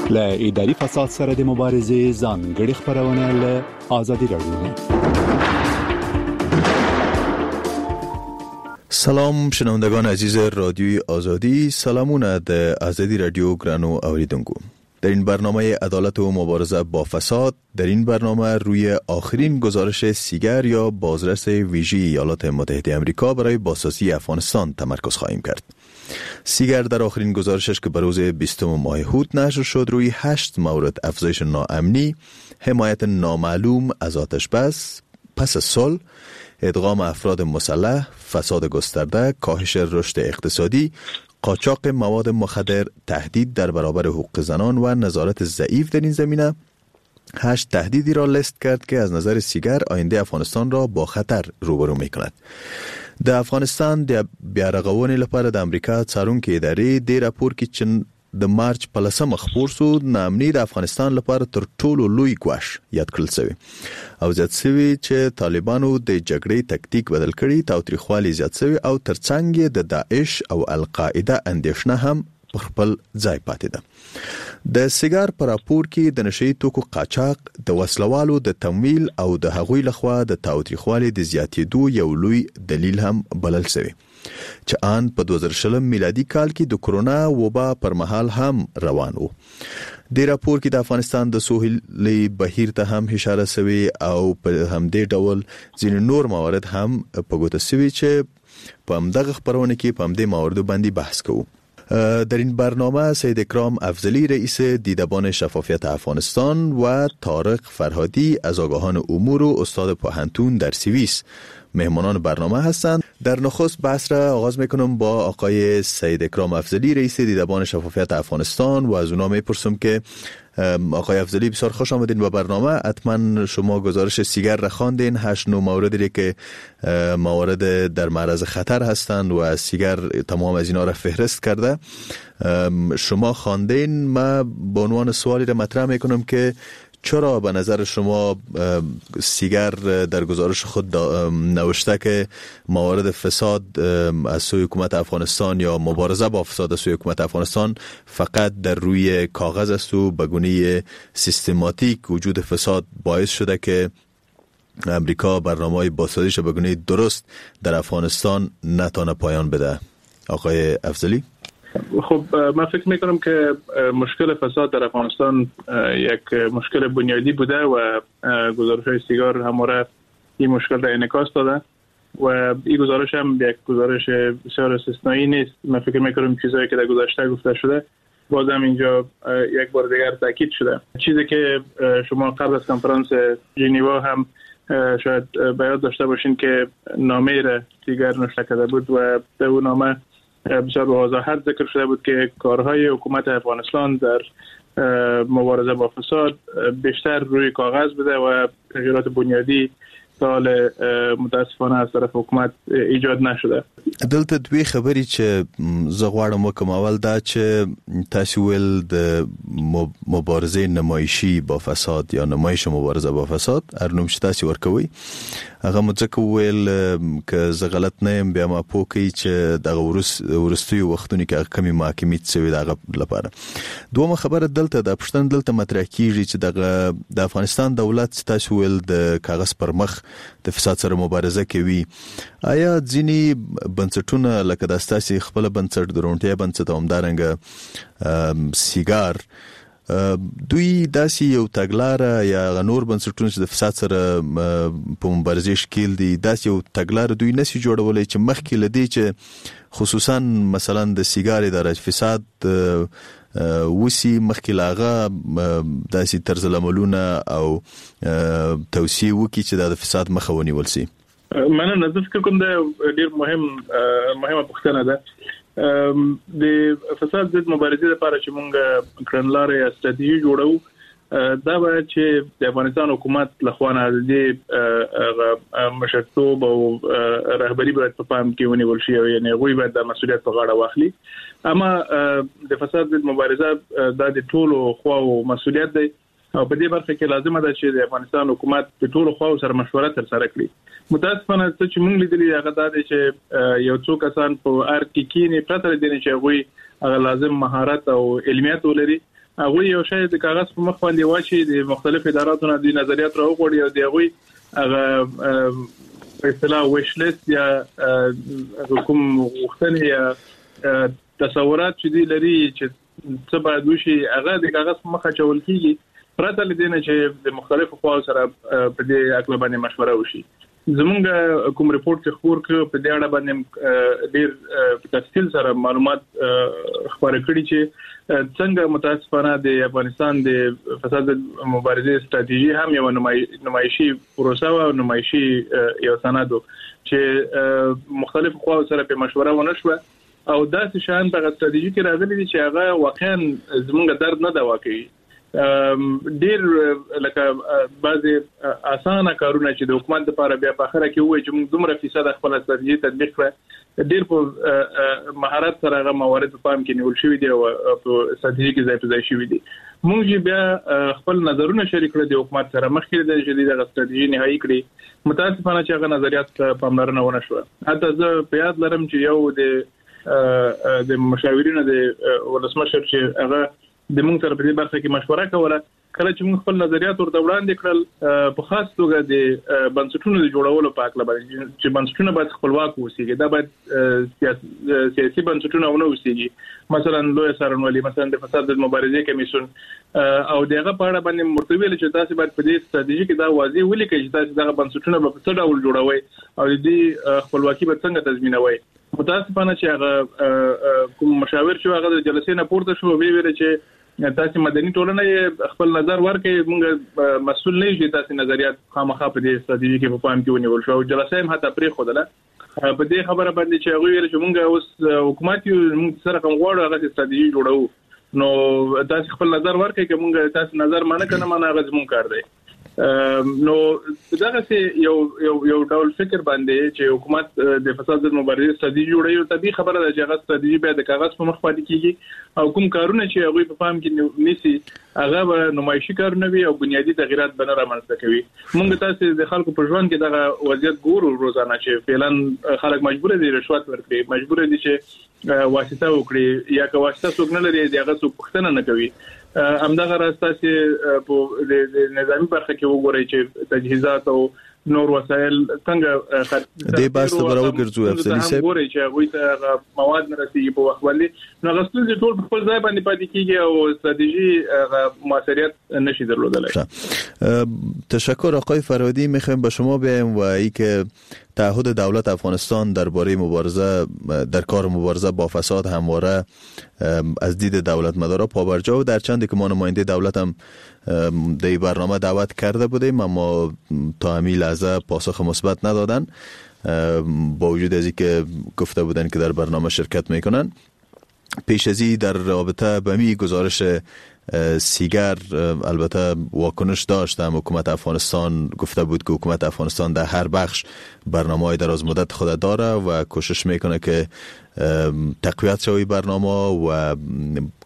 له اداري فساد سره د مبارزې ځانګړې خپرونه له ازادي راډیو. سلام شنوندگان عزیز رادیوی آزادی، سلامونه د ازادي رادیو ګرانو اوریدونکو. در این برنامه عدالت و مبارزه با فساد، در این برنامه روی آخرین گزارش سیگر یا بازرس ویژه ایالات متحده آمریکا برای بازسازی افغانستان تمرکز خواهیم کرد. سیگر در آخرین گزارشش که به روز 20 ماه حوت نشر شد، روی 8 مورد افزایش ناامنی، حمایت نامعلوم از آتش بس پس از صلح، ادغام افراد مسلح، فساد گسترده، کاهش رشد اقتصادی، قاچاق مواد مخدر، تهدید در برابر حقوق زنان و نظارت ضعیف در این زمینه، 8 تهدیدی را لیست کرد که از نظر سیگر آینده افغانستان را با خطر روبرو می کند. د افغانستان د بیارغونې لپاره د امریکا څارونکې ادارې د راپور کې چې د مارچ په 10 خپور سو، ناامني د افغانستان لپاره تر ټولو لوی ګواښ یاد کړل شوی او زیات شوی چې طالبانو د جګړې تکتیک بدل کړي، تاوتریخوالی زیات شوی او ترڅنګ یې د داعش او القاعده اندېښنه هم پر خپل ځای پاتې ده. د سیګار په راپور کې د نشه یي توکو قاچاق، د وسلوالو د تمویل او د هغوی لخوا د تاوتریخوالي د زیاتېدو یو لوی دلیل هم بلل شوی. چې ان په 2020 میلادي کال کې د کرونا وبا پر مهال هم روان وو. د راپور کې د افغانستان د سهیلي بهیر ته هم اشاره شوې او په همدې ډول ځینې نور موارد هم په ګوته شوي چې په همدغه خپرونه کې په همدې مواردو باندې بحث کوو. در این برنامه سید اکرام افضلی، رئیس دیدبان شفافیت افغانستان، و طارق فرهادی از آگاهان امور و استاد پوهنتون در سوئیس مهمانان برنامه هستند. در نخست بحث را آغاز میکنم با آقای سید اکرام افضلی، رئیس دیدبان شفافیت افغانستان، و از اونا میپرسم که آقای افضلی بسیار خوش آمدین به برنامه. حتما شما گزارش سیگر را خواندین، 8 9 موردی که موارد در معرض خطر هستند و سیگر تمام از اینا را فهرست کرده، شما خواندین. ما به عنوان سوالی را مطرح میکنم که چرا به نظر شما سیگر در گزارش خود نوشته که موارد فساد از سوی حکومت افغانستان یا مبارزه با فساد از سوی حکومت افغانستان فقط در روی کاغذ است و به گونه سیستماتیک وجود فساد باعث شده که امریکا برنامه‌های بازسازیش به گونه درست در افغانستان نتانه پایان بده؟ آقای افضلی. خب من فکر میکنم که مشکل فساد در افغانستان یک مشکل بنیادی بوده و گزارش های سیگار همواره این مشکل را انعکاس داده و این گزارش هم یک گزارش بسیار استثنایی نیست. من فکر میکنم چیزهایی که در گذشته گفته شده بازم اینجا یک بار دیگر تاکید شده. چیزی که شما قبل از کنفرانس ژنوا هم شاید به یاد داشته باشین که نامه را دیگر نوشته کرده بود و در اون نامه بسیار به وضاحت ذکر شده بود که کارهای حکومت افغانستان در مبارزه با فساد بیشتر روی کاغذ بوده و تغییرات بنیادی سال متاسفانه از طرف حکومت ایجاد نشده. دلته دوې خبرې چې زه غواړم وکم. اول دا چې تاسو ویل د مبارزې نمایشي با فساد یا نمایش مبارزه با فساد، هر نوم چې تاسو ورکوي، هغه مو ځکه وویل که زه غلط نه یم بیا ما پوه کړئ چې دغه وروستیو وختونو کې هغه کمې محاکمې شوې د هغه لپاره. دومه خبره دلته د پوښتنه دلته مطرح کیږي چې دغه د افغانستان دولت چې تاسو ویل د کاغذ پر مخ د فساد سره مبارزه کوي، آیا ځینې بنسټونه لکه د ستاسې خپل بنسټ، د روڼتیا بنسټ او همدارنګه سیګار، دوی داسې یو تګلاره یا هغه نور بنسټونه چې د فساد سره په مبارزې ښکیل دي، داسې یو تګلاره دوی نسی جوړولی چې مخکې له دې چې خصوصا مثلا د سیګار اداره فساد وسی مخکې له هغه داسې طرز العملونه او توصیې وکړي چې دا د فساد مخه ونیول سي؟ مننه. زه فکر کوم دا ډیر مهمه پوښتنه ده. د فساد ضد مبارزې لپاره چې مونږ کړنلارې یا ستراتیژي جوړو، دا باید چې د افغانستان حکومت له خوا نه د دې مشرتوب او رهبري باید په پام کې ونیول شي، او یعنې هغوی باید دا مسؤلیت په غاړه واخلي. اما د فساد ضد مبارزه دا د ټولو خواو مسؤلیت دی او په دې برخه کې لازمه ده چې د افغانستان حکومت د ټولو خواو سره مشوره ترسره کړي. متاسفانه څه چې مونږ لیدلي هغه دا دی چې یو څو کسان په ارګ کې کینې پرته له دې چې هغوی هغه لازم مهارت او علمیت ولري، هغوی یو شی د کاغذ په مخ باندې واچي، د مختلف اداراتو نه د نظریات راوغواړي او د هغوی هغه په اصطلاح ویش لیست یا کوم غوښتنې یا تصورات چې دوی لري چې څه باید وشي هغه د کاغذ په مخ اچول کېږي پرته له دې نه چې د مختلفو خواو سره په دې هکله باندې مشوره وشي. زمونږ کوم رپورټ چې خپور کړ په دې اړه باندې ډیر په تفصیل سره معلومات خپاره کړي چې څنګه متاسفانه د افغانستان د فساد مبارزې ستراتیژي هم یو نمایشي پروسه او نمایشي یو سند چې مختلف خواو سره په مشوره ونه شوه او داسې شیان په ستراتیژي کې راغلي دي چې هغه واقعا زمونږ درد نه دوا کوي. ډیر لکه بعضې اسانه کارونه چې د حکومت لپاره بیا په اخره کې ووایي چې موږ دومره فیصد خپله ستراتیژي تطبیق کړه، ډیر په مهارت سره هغه موارد په پام کې نیول شوي دي او په ستراتیژي کې ځای په ځای شوي دي. موږ چې بیا خپل نظرونه شریک کړل د حکومت سره مخکې له دې چې دوی دغه ستراتیژي نهایي کړي، متاسفانه چې هغه نظریات ته پاملرنه ونه شوه. حتی زه په یاد لرم چې یو د مشاورینو د ولسمشر چې هغه د موږ سره په دې برخه کې مشوره کوله. کله چې موږ خپل نظریات ورته وړاندې کړل، په خاص توګه د بنسټونو د جوړولو په هکله باندې چې بنسټونه باید خپلواک اوسېږي، دا باید سیاسي بنسټونه ونه اوسېږي، مثلا لوی څارنوالي، مثلا د فساد د مبارزې کمیسیون، او د هغه په اړه باندې ورته ویل چې تاسو باید په دې ستراتیژي کې دا واضح ولیکئ چې تاسو دغه بنسټونه به په څه ډول جوړوئ او د دې خپلواکي به څنګه تضمینوئ. متاسفانه چې هغه کوم مشاور چې هغه د جلسې نه پورته شو، وی ویل چې تاسو مدني ټولنه خپل نظر ورکړئ، موږ مسؤل نه یو چې تاسو نظریات خامخا په دې ستراتیژي کې په پام کې ونیول شو. او جلسه هم حتی پرېښودله په دې خبره باندې چې هغوی ویل چې موږ اوس حکومت یو، موږ سره کوم غواړو هغه ستراتیژي جوړوو، نو تاسو خپل نظر ورکړئ، که موږ تاسو نظر مانه کنه مانه هغه زموږ کار دی. نو دغه یو یو یو ډول فکر باندې چې حکومت د فساد ضد مبارزې ستراتیژي جوړوي، طبیعي خبره ده چې هغه ستراتیژي بیا د کاغذ په مخ پاتې کیږي او کوم کارونه چې هغوی په پام کې نیسي هغه به نمایشي کارونه وي او بنیادي تغیرات به نه رامنځته کوي. موږ تاسو د خلکو په ژوند کې دغه وضعیت ګورو روزانه چې فعلا خلک مجبور دي رشوت ورکړي، مجبور دي چې واسطه وکړي، یا که واسطه څوک نه لري د هغه څوک پوښتنه نه کوي. همدغه راز تاسو په نظامي برخه کې وګورئ چې تجهیزات او نور وسایل څنګه دې بحث ته به راوګرځو. افضلي صاحب ګورئ چې هغوی ته هغه مواد نه رسېږي په وخت باندې، نو هغه ستونزې ټول په خپل ځای باندې پاتې کیږي او ستراتیژي هغه موثریت نشي درلودلی. تشکر آقای فرهادی. میخوایم با شما بیایم و ای که تعهد دولت افغانستان درباره مبارزه در کار مبارزه با فساد همواره از دید دولت مدارا پابرجا و در چندی که ما نماینده دولت هم در برنامه دعوت کرده بودیم اما تا همین لحظه پاسخ مثبت ندادن، با وجود از اینکه گفته بودن که در برنامه شرکت میکنن. پیش از این در رابطه به می گزارش سیگر البته واکنش داشتم. حکومت افغانستان گفته بود که حکومت افغانستان در هر بخش برنامه‌های دراز مدت خود داره و کوشش میکنه که تقویت شوی برنامه و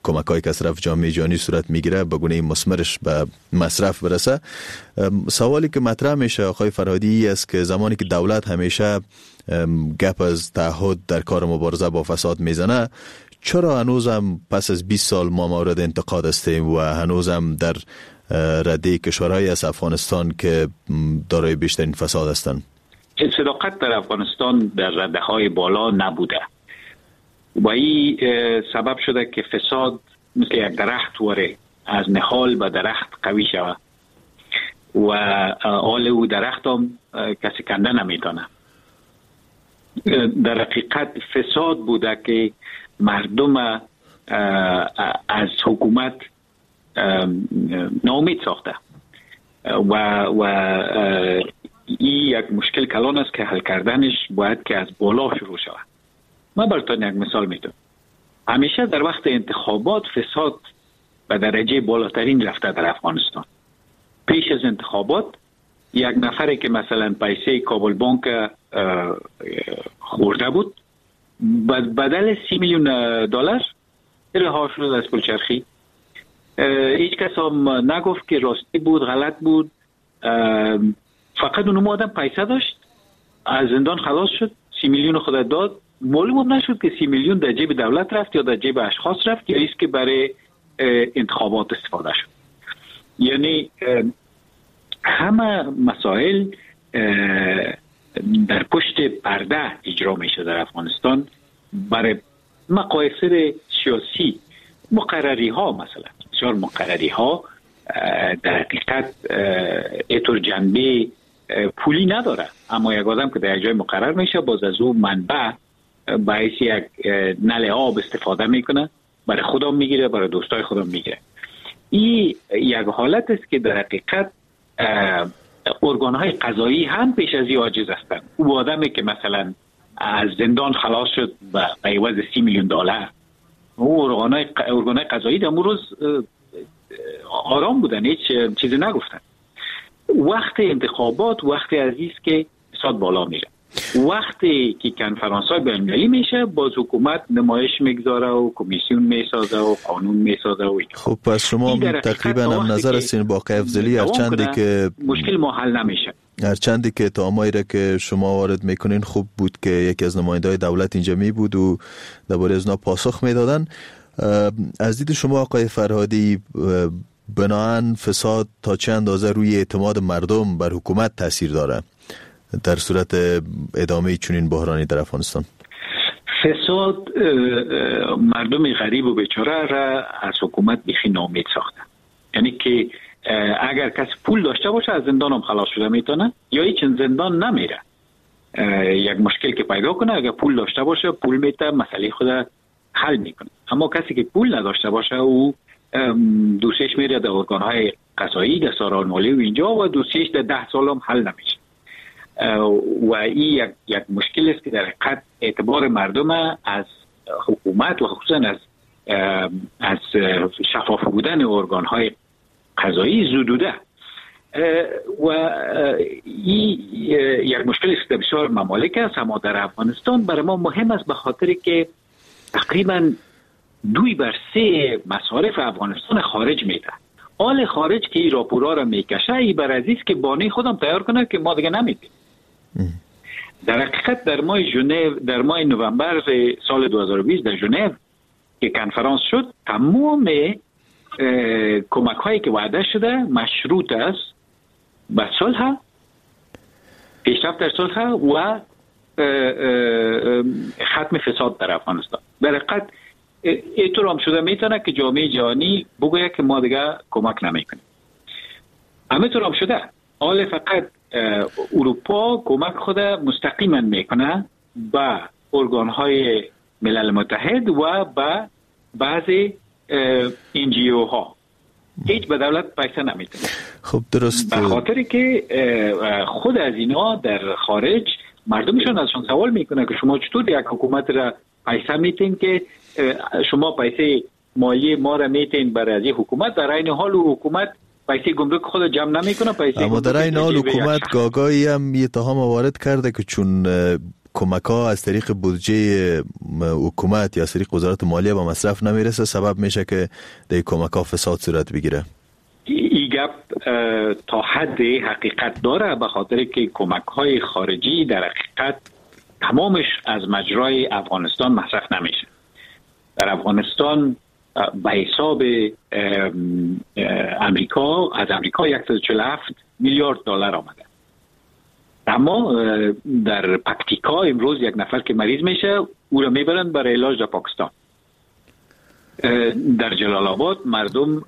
کمک‌های که از طرف جامعه جهانی صورت میگیره به گونه مثمرش به مصرف برسه. سوالی که مطرح میشه آقای فرهادی است که زمانی که دولت همیشه گپ از تعهد در کار مبارزه با فساد میزنه، چرا هنوزم پس از 20 سال ما مورد انتقاد هستیم و هنوزم در رده کشورهای از افغانستان که دارای بیشترین فساد هستند؟ صداقت در افغانستان در رده های بالا نبوده و این سبب شده که فساد مثل یک درخت واره از نهال به درخت قوی شود و آل او درخت هم کسی کنده نمیتونه. در حقیقت فساد بوده که مردم از حکومت ناامید ساخته و این یک مشکل کلان است که حل کردنش باید که از بالا شروع شود. من براتون یک مثال میدم. همیشه در وقت انتخابات فساد به درجه بالاترین رفته در افغانستان. پیش از انتخابات یک نفری که مثلا پیسه کابل بانک خورده بود، بدل 30 میلیون دلار رها شد از پلچرخی. هیچ کس هم نگفت که راستی بود غلط بود، فقط اون آدم پیسه داشت، از زندان خلاص شد، 30 میلیون خود داد. معلوم نشد که 30 میلیون در جیب دولت رفت یا در جیب اشخاص رفت یا ایست که برای انتخابات استفاده شد. یعنی همه مسائل در پشت پرده اجرا میشه در افغانستان برای مقایسه سیاسی. مقرری ها مثلا، بسیار مقرری ها در حقیقت اینطور جنبه پولی نداره، اما یک آدم که در جای مقرر میشه باز از او منبع باعث یک نل آب استفاده میکنه، برای خودم میگیره، برای دوستای خودم میگیره. این یک حالت است که در حقیقت ارگان‌های قضایی هم پیش از این عاجز هستند. او آدمی که مثلا از زندان خلاص شد به عوض 30 میلیون دلار، او ارگان‌های قضایی در اون روز آرام بودن، هیچ چیزی نگفتن. وقت انتخابات وقت عزیز که فساد بالا میره، وقتی که کنفرانس‌های بین‌المللی میشه باز حکومت نمایش میگذاره و کمیسیون میسازه و قانون میسازه و خب پس شما تقریبا هم نظر هستین با آقای افضلی، هرچندی که مشکل ما حل نمیشه، هرچندی که اتهامایی را که شما وارد میکنین خوب بود که یکی از نماینده‌های دولت اینجا می بود و درباره از اونا پاسخ میدادن. از دید شما آقای فرهادی، بناهن فساد تا چه اندازه روی اعتماد مردم بر حکومت تاثیر داره در صورت ادامه چنین بحرانی در افغانستان؟ فساد مردم غریب و بیچاره را از حکومت بیخی ناامید ساخته. یعنی که اگر کسی پول داشته باشه از زندان هم خلاص شده میتونه، یا هیچ زندان نمیره. یک مشکل که پیدا کنه اگر پول داشته باشه پول میته، مسئله خود حل میکنه. اما کسی که پول نداشته باشه او دوسیش میره در ارگانهای قضایی، در ساران مالی و اینجا، و دوسیش در 10 سال هم حل نمیشه. و این یک مشکل است که در حقیقت اعتبار مردم از حکومت و خصوصا از شفاف بودن ارگانهای قضایی زدوده. و این یک مشکل است که بسیار ممالک است، اما در افغانستان برای ما مهم است به خاطر که تقریبا 2/3 مصارف افغانستان خارج میده. آل خارج که این راپورا را میکشه، ای بر عزیز که بانه خودم تیار کنه که ما دیگه نمیدیم. در حقیقت در ماه ژنو، در ماه نوامبر سال 2020 در ژنو که کنفرانس شد، تمام کمک هایی که وعده شده مشروط است به صلح، پیشرفت در صلح و ختم فساد در افغانستان. در حقیقت اینطور هم شده میتونه که جامعه جهانی بگوید که ما دیگه کمک نمیکنیم. همینطور هم شده. حال فقط اروپا کمک خود مستقیما میکنه به ارگانهای ملل متحد و به بعضی NGO ها. هیچ به دولت پیسه نمیده. خب درست. به خاطر که خود از اینا در خارج مردمشون ازشون سوال میکنه که شما چطور یک حکومت را پیسه میتین که شما پیسه مالی ما را میتین برای از حکومت، در عین حال حکومت پیسه گمرک خود جمع نمیکنه، پیسه اما در عین حال حکومت گاگایی هم یه اتهام وارد کرده که چون کمک ها از طریق بودجه حکومت یا از طریق وزارت مالیه به مصرف نمیرسه، سبب میشه که در کمک ها فساد صورت بگیره. این گپ تا حد حقیقت داره، به خاطر که کمک های خارجی در حقیقت تمامش از مجرای افغانستان مصرف نمیشه. در افغانستان به حساب امریکا، از امریکا 147 میلیارد دلار آمده، اما در پکتیکا امروز یک نفر که مریض میشه او را میبرند برای علاج در پاکستان. در جلال آباد مردم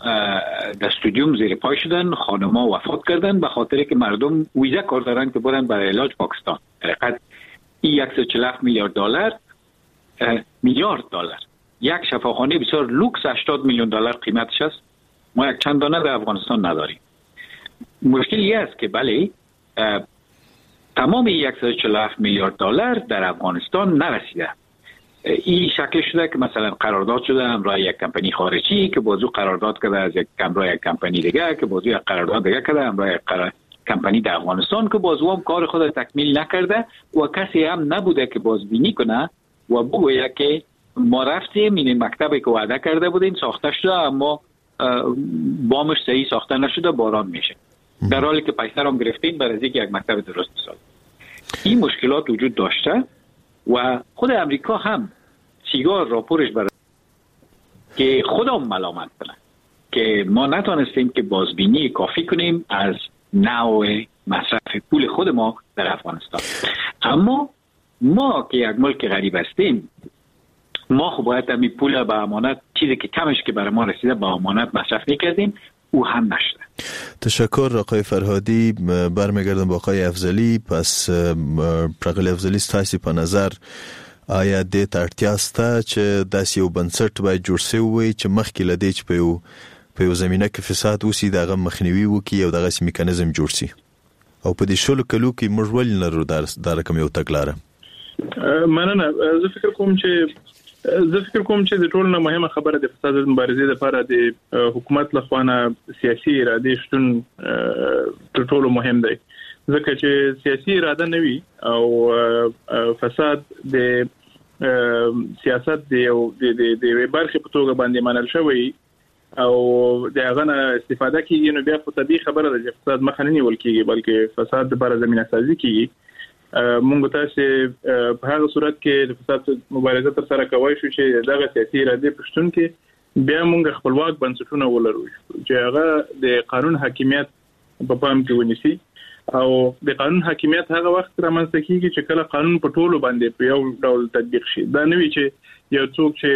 در استادیوم زیر پای شدن، خانم‌ها وفات کردن به خاطر که مردم ویزا کار دارن که برن برای علاج پاکستان. در حقیقت این 147 میلیارد دلار، میلیارد دلار، یک شفاخانه بسیار لوکس 80 میلیون دلار قیمتش است. ما یک چند دانه در افغانستان نداریم. مشکل این است که بله تمام 147 میلیارد دلار در افغانستان نرسیده. این شکل شده که مثلا قرارداد شده همراه یک کمپانی خارجی که بازو قرارداد کرده از یک همراه یک کمپانی دیگه که بازو یک قرارداد دیگه کرده همراه یک کمپانی در افغانستان که بازو هم کار خود تکمیل نکرده و کسی هم نبوده که بازبینی کنه و بگوید که ما رفتیم این مکتبی که وعده کرده بودیم ساخته شده، اما بامش صحیح ساخته نشده، باران میشه، در حالی که پیسه رو هم گرفتیم برای اینکه یک مکتب درست بسازیم. این مشکلات وجود داشته و خود امریکا هم سیگار راپورش برای که خودم ملامت کنه که ما نتونستیم که بازبینی کافی کنیم از نوع مصرف پول خود ما در افغانستان. اما ما که یک ملک غریب هستیم، ما خب باید همین پول به امانت، چیزی که کمش که برای ما رسیده به امانت مصرف میکردیم، او هم نشده. تشکر آقای فرهادی. برمیگردم با آقای افضلی. پس پرغلی افضلی ستاسو په نظر آیا دې ته اړتیا شته چې داسې یو بنسټ باید جوړ شوی وي چې مخکې له دې چې په یو زمینه کې فساد وسي د هغه مخنیوي وکړي او دغسې میکانیزم جوړ شي؟ او په دې شلو کلو کې موږ ولې نلرو دا رقم یو تګلاره؟ مننه. زه فکر کوم چې د ټولو نه مهمه خبره د فساد مبارزې لپاره د حکومت له خوا نه سیاسي ارادې شتون تر ټولو مهم دی، ځکه چې سیاسي اراده نه وي او فساد د سیاست د یو د یوې برخې په توګه باندې منل شوی او د هغه نه استفاده کیږي، نو بیا خو طبیعي خبره ده چې فساد مخه نه نیول کیږي، بلکې فساد لپاره زمینه سازي کیږي. مونږ تاسو په هغه صورت کې د فساد مبارزه تر سره کوی شو چې دغه سیاسي اراده په شتون کې بیا مونږ خپلواک بنسټونه ولرو چې هغه د قانون حاکمیت په پام کې ونیسي. او د قانون حاکمیت هغه وخت رامنځته کیږي چې کله قانون په ټولو باندې په یو ډول تطبیق شي. دا نه وي چې یو څوک چې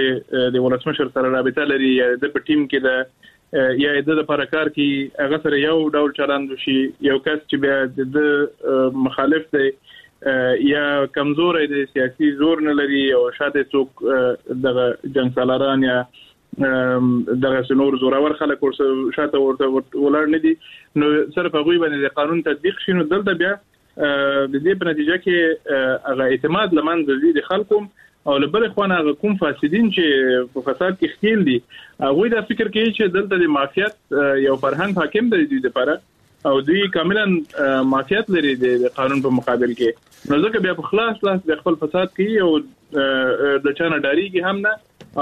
د ولسمشر سره رابطه لري یا د په ټیم کې ده یا د لپاره کار کوي هغه سره یو ډول چلند وشي، یو کس چې بیا د مخالف دی یا کمزوری دی، سیاسي زور نه لري او شاته څوک دغه جنگ سالاران یا دغه نور زورور خلک ورسره شاته ورته ولاړ نه دي، نو صرف هغوی باندې د قانون تطبیق شي. نو دلته بیا د دې په نتیجه کې هغه اعتماد له منځه ځي د خلکو، او له بلې خوا نه هغه کوم فاسدین چې په فساد کې ښکیل دي هغوی دا فکر کوي چې دلته د مافیت یو فرهنګ حاکم دی دوی لپاره، او دوی کاملا مافیت لري د قانون په مقابل کې، نو ځکه بیا په خلاص لاس د خپل فساد کوي او د چا نه ډارېږي هم نه،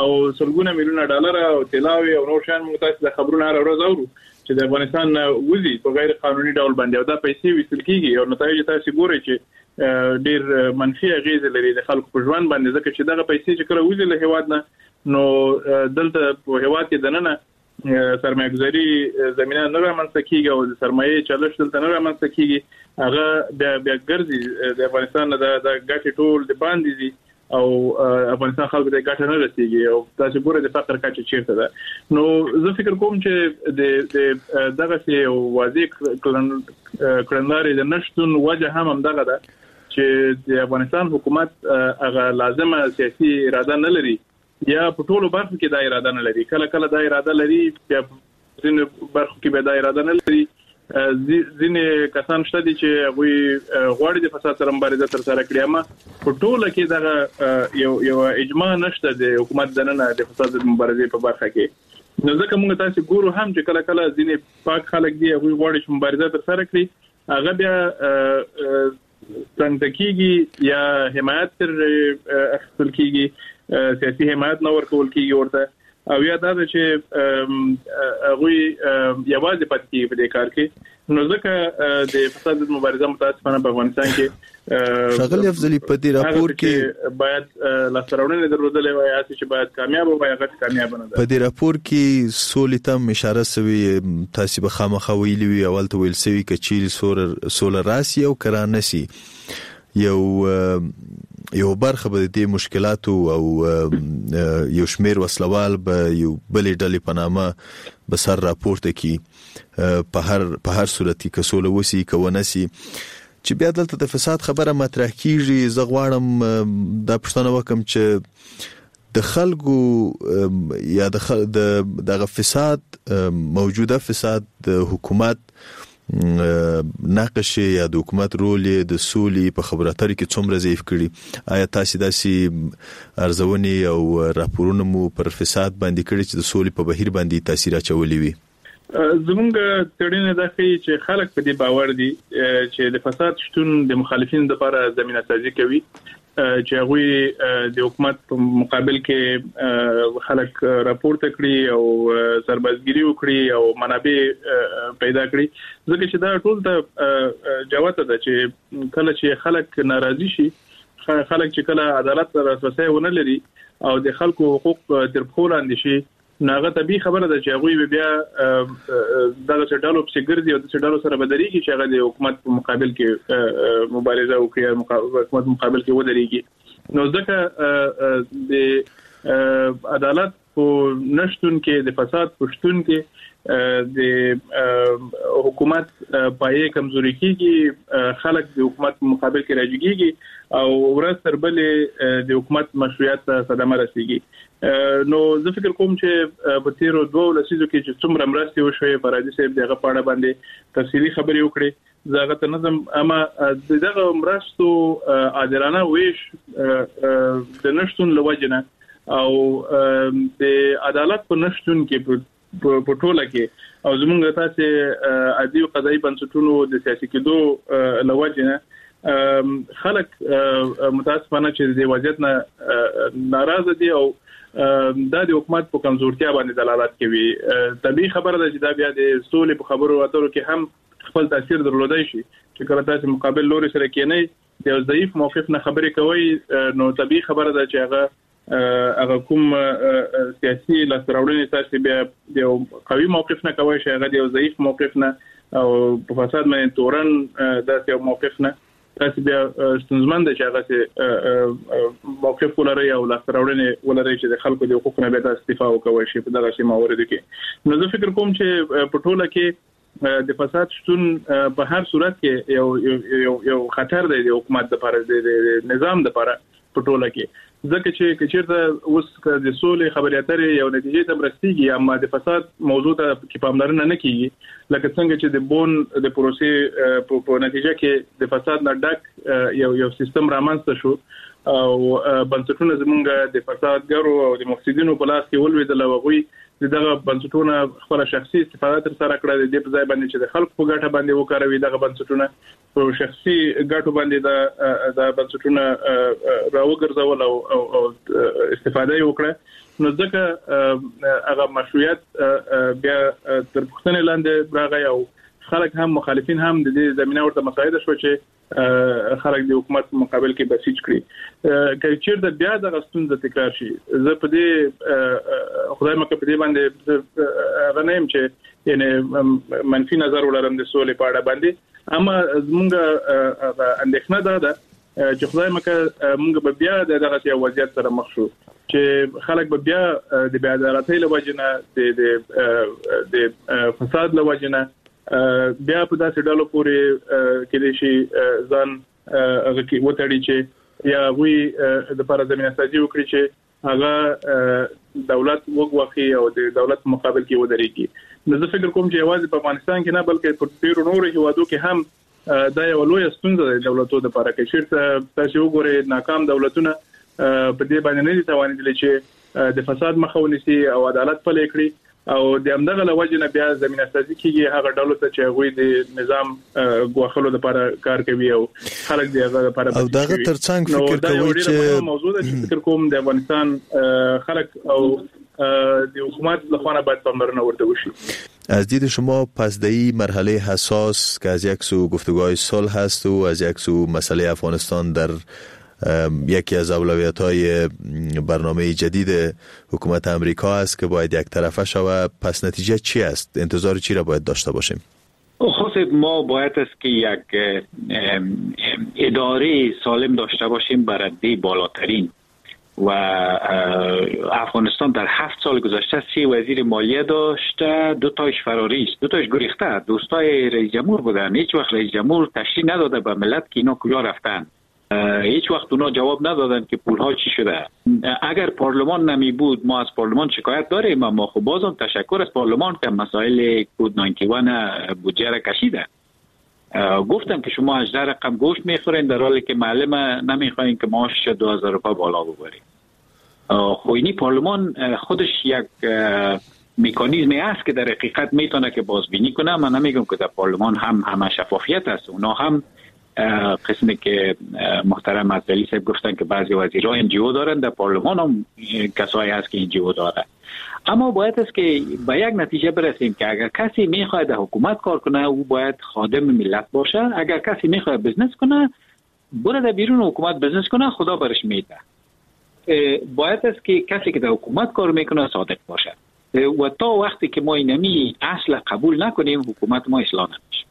او سلګونه میلیونه ډالر او طلاوې او نور شیان موږ تاسو د خبرونه هره ورځ اورو چې د افغانستان نه وځي په غیر قانوني ډول باندې، او دا پیسې ویستل کېږي او نتایج تاسو ګورئ چې ډیر منفي اغېزې لري د خلکو په ژوند باندې، ځکه چې دغه پیسې چې کله وځي له هېواد نه نو دلته په هېواد کې دننه سرمایه ګذاري زمینه نه رامنځته کېږي او د سرمایې چلش دلته نه رامنځته کېږي، هغه بیا ګرځي د افغانستان نه د ګټې ټول د باندې ځي او افغانستان خلکو ته ګټه نه رسیږي، او تاسو ګورئ د فقر کچه چیرته ده. نو زه فکر کوم چې د دغسې یو واضح کړنلارې د نشتون وجه هم همدغه ده چې د افغانستان حکومت هغه لازمه سیاسي اراده نه لري، یا په ټولو برخو کې دا اراده نه لري. کله کله دا اراده لري، بیا ځینو برخو کې بیا دا اراده نه لري. ځینې کسان شته دي چې هغوی غواړي د فساد سره مبارزه ترسره کړي، اما په ټوله کې دغه یو اجماع نشته د حکومت دننه د فساد د مبارزې په برخه کې. نو ځکه موږ تاسو ګورو هم چې کله کله ځینې پاک خلک دي هغوی غواړي چې مبارزه ترسره کړي، هغه بیا څنګه کیږي یا حمایت تر اخیستل کیږي، سیاسي حمایت نه ورکول کیږي ورته، او یا دا ده چې هغوی یوازې پاتې کیږي په دې کار کې. نو ځکه د فساد مبارزه متاسفانه په افغانستان کې ښاغلی افضلي په دې راپور کې باید لاسته راوړنې درلودلې وای، هسې چې باید کامیاب وای، هغه کامیاب نه ده. په دې راپور کې سولې ته هم اشاره سوې، تاسې به خامخا ویلي وي، اول ته ویل سوي که چیرې سوله راسي او که رانه سي یو برخه به د دې مشکلاتو او یو شمیر وسلوال به یو بلې ډلې په نامه به سر راپورته کړي په هر صورت کې، که سوله وسي که ونه سي. چې بیا دلته د فساد خبره مطرح کیږي، زه غواړم دا پوښتنه وکړم چې د خلکو یا د دغه فساد، موجوده فساد د حکومت نقش یا د حکومت رول د سولې په خبرو اترو کې څومره ضعیف کړي؟ آیا تاسې داسې ارزونې او راپورونه مو پر فساد باندې کړي چې د سولې په بهیر باندې تاثیر اچولي وي؟ زمونږ څېړنې دا ښيي چې خلک په دې باور دي چې د فساد شتون د مخالفینو لپاره زمینه سازي کوي، چې هغوی د حکومت په مقابل کې خلک راپورته کړي او سربازګیري وکړي او منابع پیدا کړي، ځکه چې دا ټول ته جوته ده چې کله چې خلک ناراضي شي، خلک چې کله عدالت ته لاسرسی ونه لري او د خلکو حقوق تر پښو لاندې شي، نو هغه طبیعي خبره ده چې هغوی به بیا دغسې ډلو پسې ګرځي او داسې ډلو سره به درېږي چې هغه د حکومت په مقابل کې مبارزه وکړي، حکومت مقابل کې ودرېږي. نو ځکه د عدالت په نشتون کې، د فساد په شتون کې د حکومت پایې کمزوري کیږي، خلک د حکومت په مقابل کې راجګیږي او ورځ تر بلې د حکومت مشروعیت ته صدمه رسیږي. نو زه فکر کوم چې په تیرو 2 لسیزو کې چې څومره مرستې وشوې، فرادي صاحب د هغه په اړه باندې تفصیلي خبرې وکړې، زه هغه ته نه ځم، اما د دغه مرستو عادلانه ویش د نشتون له وجې نه او د عدالت په نشتون کې په ټوله کې او زمونږ تاسې عدلي او قضایي بنسټونو د سیاسي کېدو له وجې نه خلک متاسفانه چې د وضعیت نه ناراضه دي او دا د حکومت په کمزورتیا باندې دلالت کوي. طبیعي خبره ده چې دا بیا د سولې په خبرو اترو کې هم خپل تاثیر درلودای شي چې کله تاسو مقابل لوري سره کېنئ، د یو ضعیف موقف نه خبرې کوي، نو طبیعي خبره ده چې هغه کوم سیاسي لاسته راوړنې تاسو بیا د یو قوي موقف نه کوي چې هغه د یو ضعیف موقف نه او په فساد باندې تورن داسې یو موقف نه تاسو بیا ستونزمن دی چې هغه موقف ولرئ او لاسته راوړنې ولرئ چې د خلکو د حقوقو نه بیا تاسو دفاع وکوئ شي په دغسې مواردو کې. نو زه فکر کوم چې په ټوله کې د فساد شتون په هر صورت کې یو یو یو خطر دی د حکومت لپاره، د نظام لپاره په ټوله کې، ځکه چې چیرته اوس د سولې خبرې اترې یو نتیجې ته رسیږي اما د فساد موضوع ته کې پاملرنه نه کیږي، لکه څنګه چې د بون د پروسې په نتیجه کې د فساد نه ډک یو یو سیستم رامنځته شو او بنسټونه زمونږ د فسادګرو او د مفسدینو په لاس کې ولوېدل او هغوی دغه بنسټونه خپل شخصي استفاده تر سره کړه، د دې په ځای باندې چې د خلکو په ګټه باندې وکاروي دغه بنسټونه په شخصي ګټو باندې دا بنسټونه راوګرځول او او استفاده یې وکړه. نو ځکه هغه مشروعیت بیا تر پوښتنې لاندې راغی او خلک هم مخالفین هم د دې زمینه ورته مساعده شو چې خلک د حکومت په مقابل کې بسیج کړي. که چیرته بیا دغه ستونزه تکرار شي، زه په دې خدای مکه په دې باندې هغه نه یم چې یعنی منفي نظر ولرم د سولې په اړه باندې، اما زمونږ اندېښنه دا ده چې خدای مکه مونږ به بیا د دغسې یو وضعیت سره مخ شو چې خلک به بیا د بې عدالتۍ له وجې نه، د فساد له وجې نه بیا په داسې ډلو پورې کېدای شي ځان هغه کې وتړي چې یا هغوی دپاره زمینه سازي وکړي چې هغه دولت وګواښي او د دولت په مقابل کې ودرېږي. نو زه فکر کوم چې یوازې په افغانستان کې نه بلکې په ډېرو نورو هیوادو کې هم دا یوه لویه ستونزه ده د دولتو دپاره. که چېرته تاسې وګورئ ناکام دولتونه په دې باندې نه دي توانېدلي چې د فساد مخه ونیسي او عدالت پلی کړي، او د همدغه له وجې نه بیا زمینه سازي کیږي هغه ډلو ته چې هغوی د نظام ګواښلو لپاره کار کوي او خلک د هغه لپاره او دغه ترڅنګ فکر کوي چې موضوع ده چې فکر کوم د افغانستان خلک او د حکومت له خوا نه باید پاملرنه ورته وشي. از دید شما پس در این مرحله حساس که از یک سو گفتگوهای صلح هست و از یک سو مسئله افغانستان در یکی از اولویت‌های برنامه جدید حکومت امریکا است که باید یک طرفه شود، پس نتیجه چی است؟ انتظار چی را باید داشته باشیم؟ خب ما باید است که یک اداره سالم داشته باشیم برای بالاترین، و افغانستان در 7 سال گذشته 3 وزیر مالیه داشته، 2 تایش فراری است، 2 تایش گریخته، دوستای رئیس جمهور بودن. هیچ وقت رئیس جمهور تشریح نداده به ملت که اینا کجا رفتن، هیچ وقت اونا جواب ندادن که پولها چی شده. اگر پارلمان نمی بود، ما از پارلمان شکایت داریم، اما خب بازم تشکر از پارلمان که مسائل کود 91 بودجه را کشیده. گفتم که شما 18 رقم گوشت میخورین در حالی که معلم نمیخواین که معاشش 2000 روپیه بالا ببرین. خب اینی پارلمان خودش یک مکانیزمی است که در حقیقت میتونه که بازبینی کنه. من نمیگم که در پارلمان هم همه شفافیت است، اونا هم قسمی که محترم افضلی صاحب گفتن که بعضی وزیرها NGO دارن، در پارلمان هم کسایی هست که NGO داره. اما باید است که به یک نتیجه برسیم که اگر کسی میخواد در حکومت کار کنه او باید خادم ملت باشه، اگر کسی میخواد business کنه بره در بیرون حکومت business کنه، خدا برش میده. باید است که کسی که در حکومت کار میکنه صادق باشه، و تا وقتی که ما اینمی اصل قبول نکنیم حکومت ما اصلاح نمیشه.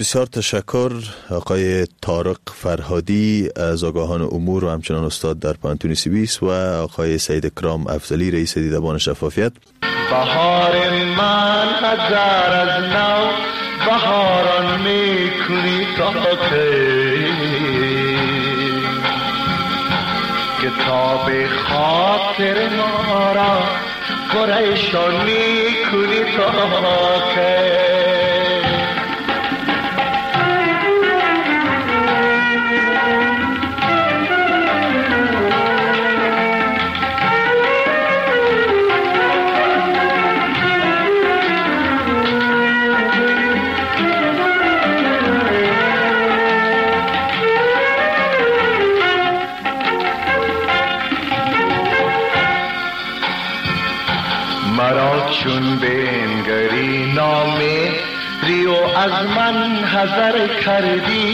بسیار تشکر آقای طارق فرهادی از آگاهان امور و همچنان استاد در پوهنتون سوئیس و آقای سید کرام افضلی رئیس دیدبان شفافیت. بهار من هزار از نو بهاران میکنی تا کی، کتاب خاطر ما را پریشان میکنی تا کی. مرا چون بنگری نام ریو از من حذر کردی،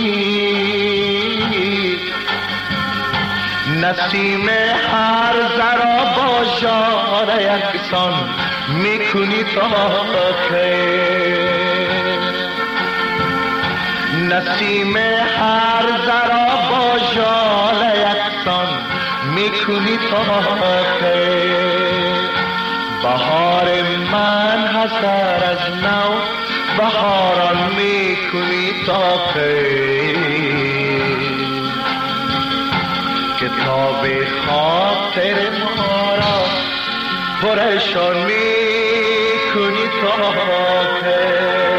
نسیم هر ذره با ژاله یکسان میکنی تا کی؟ نسیم هر ذره با ژاله یکسان میکنی تا کی؟ بهار من هزار از نو بهاران میکنی تا کی؟ کتاب خاطر ما را پرشان میکنی تا کی؟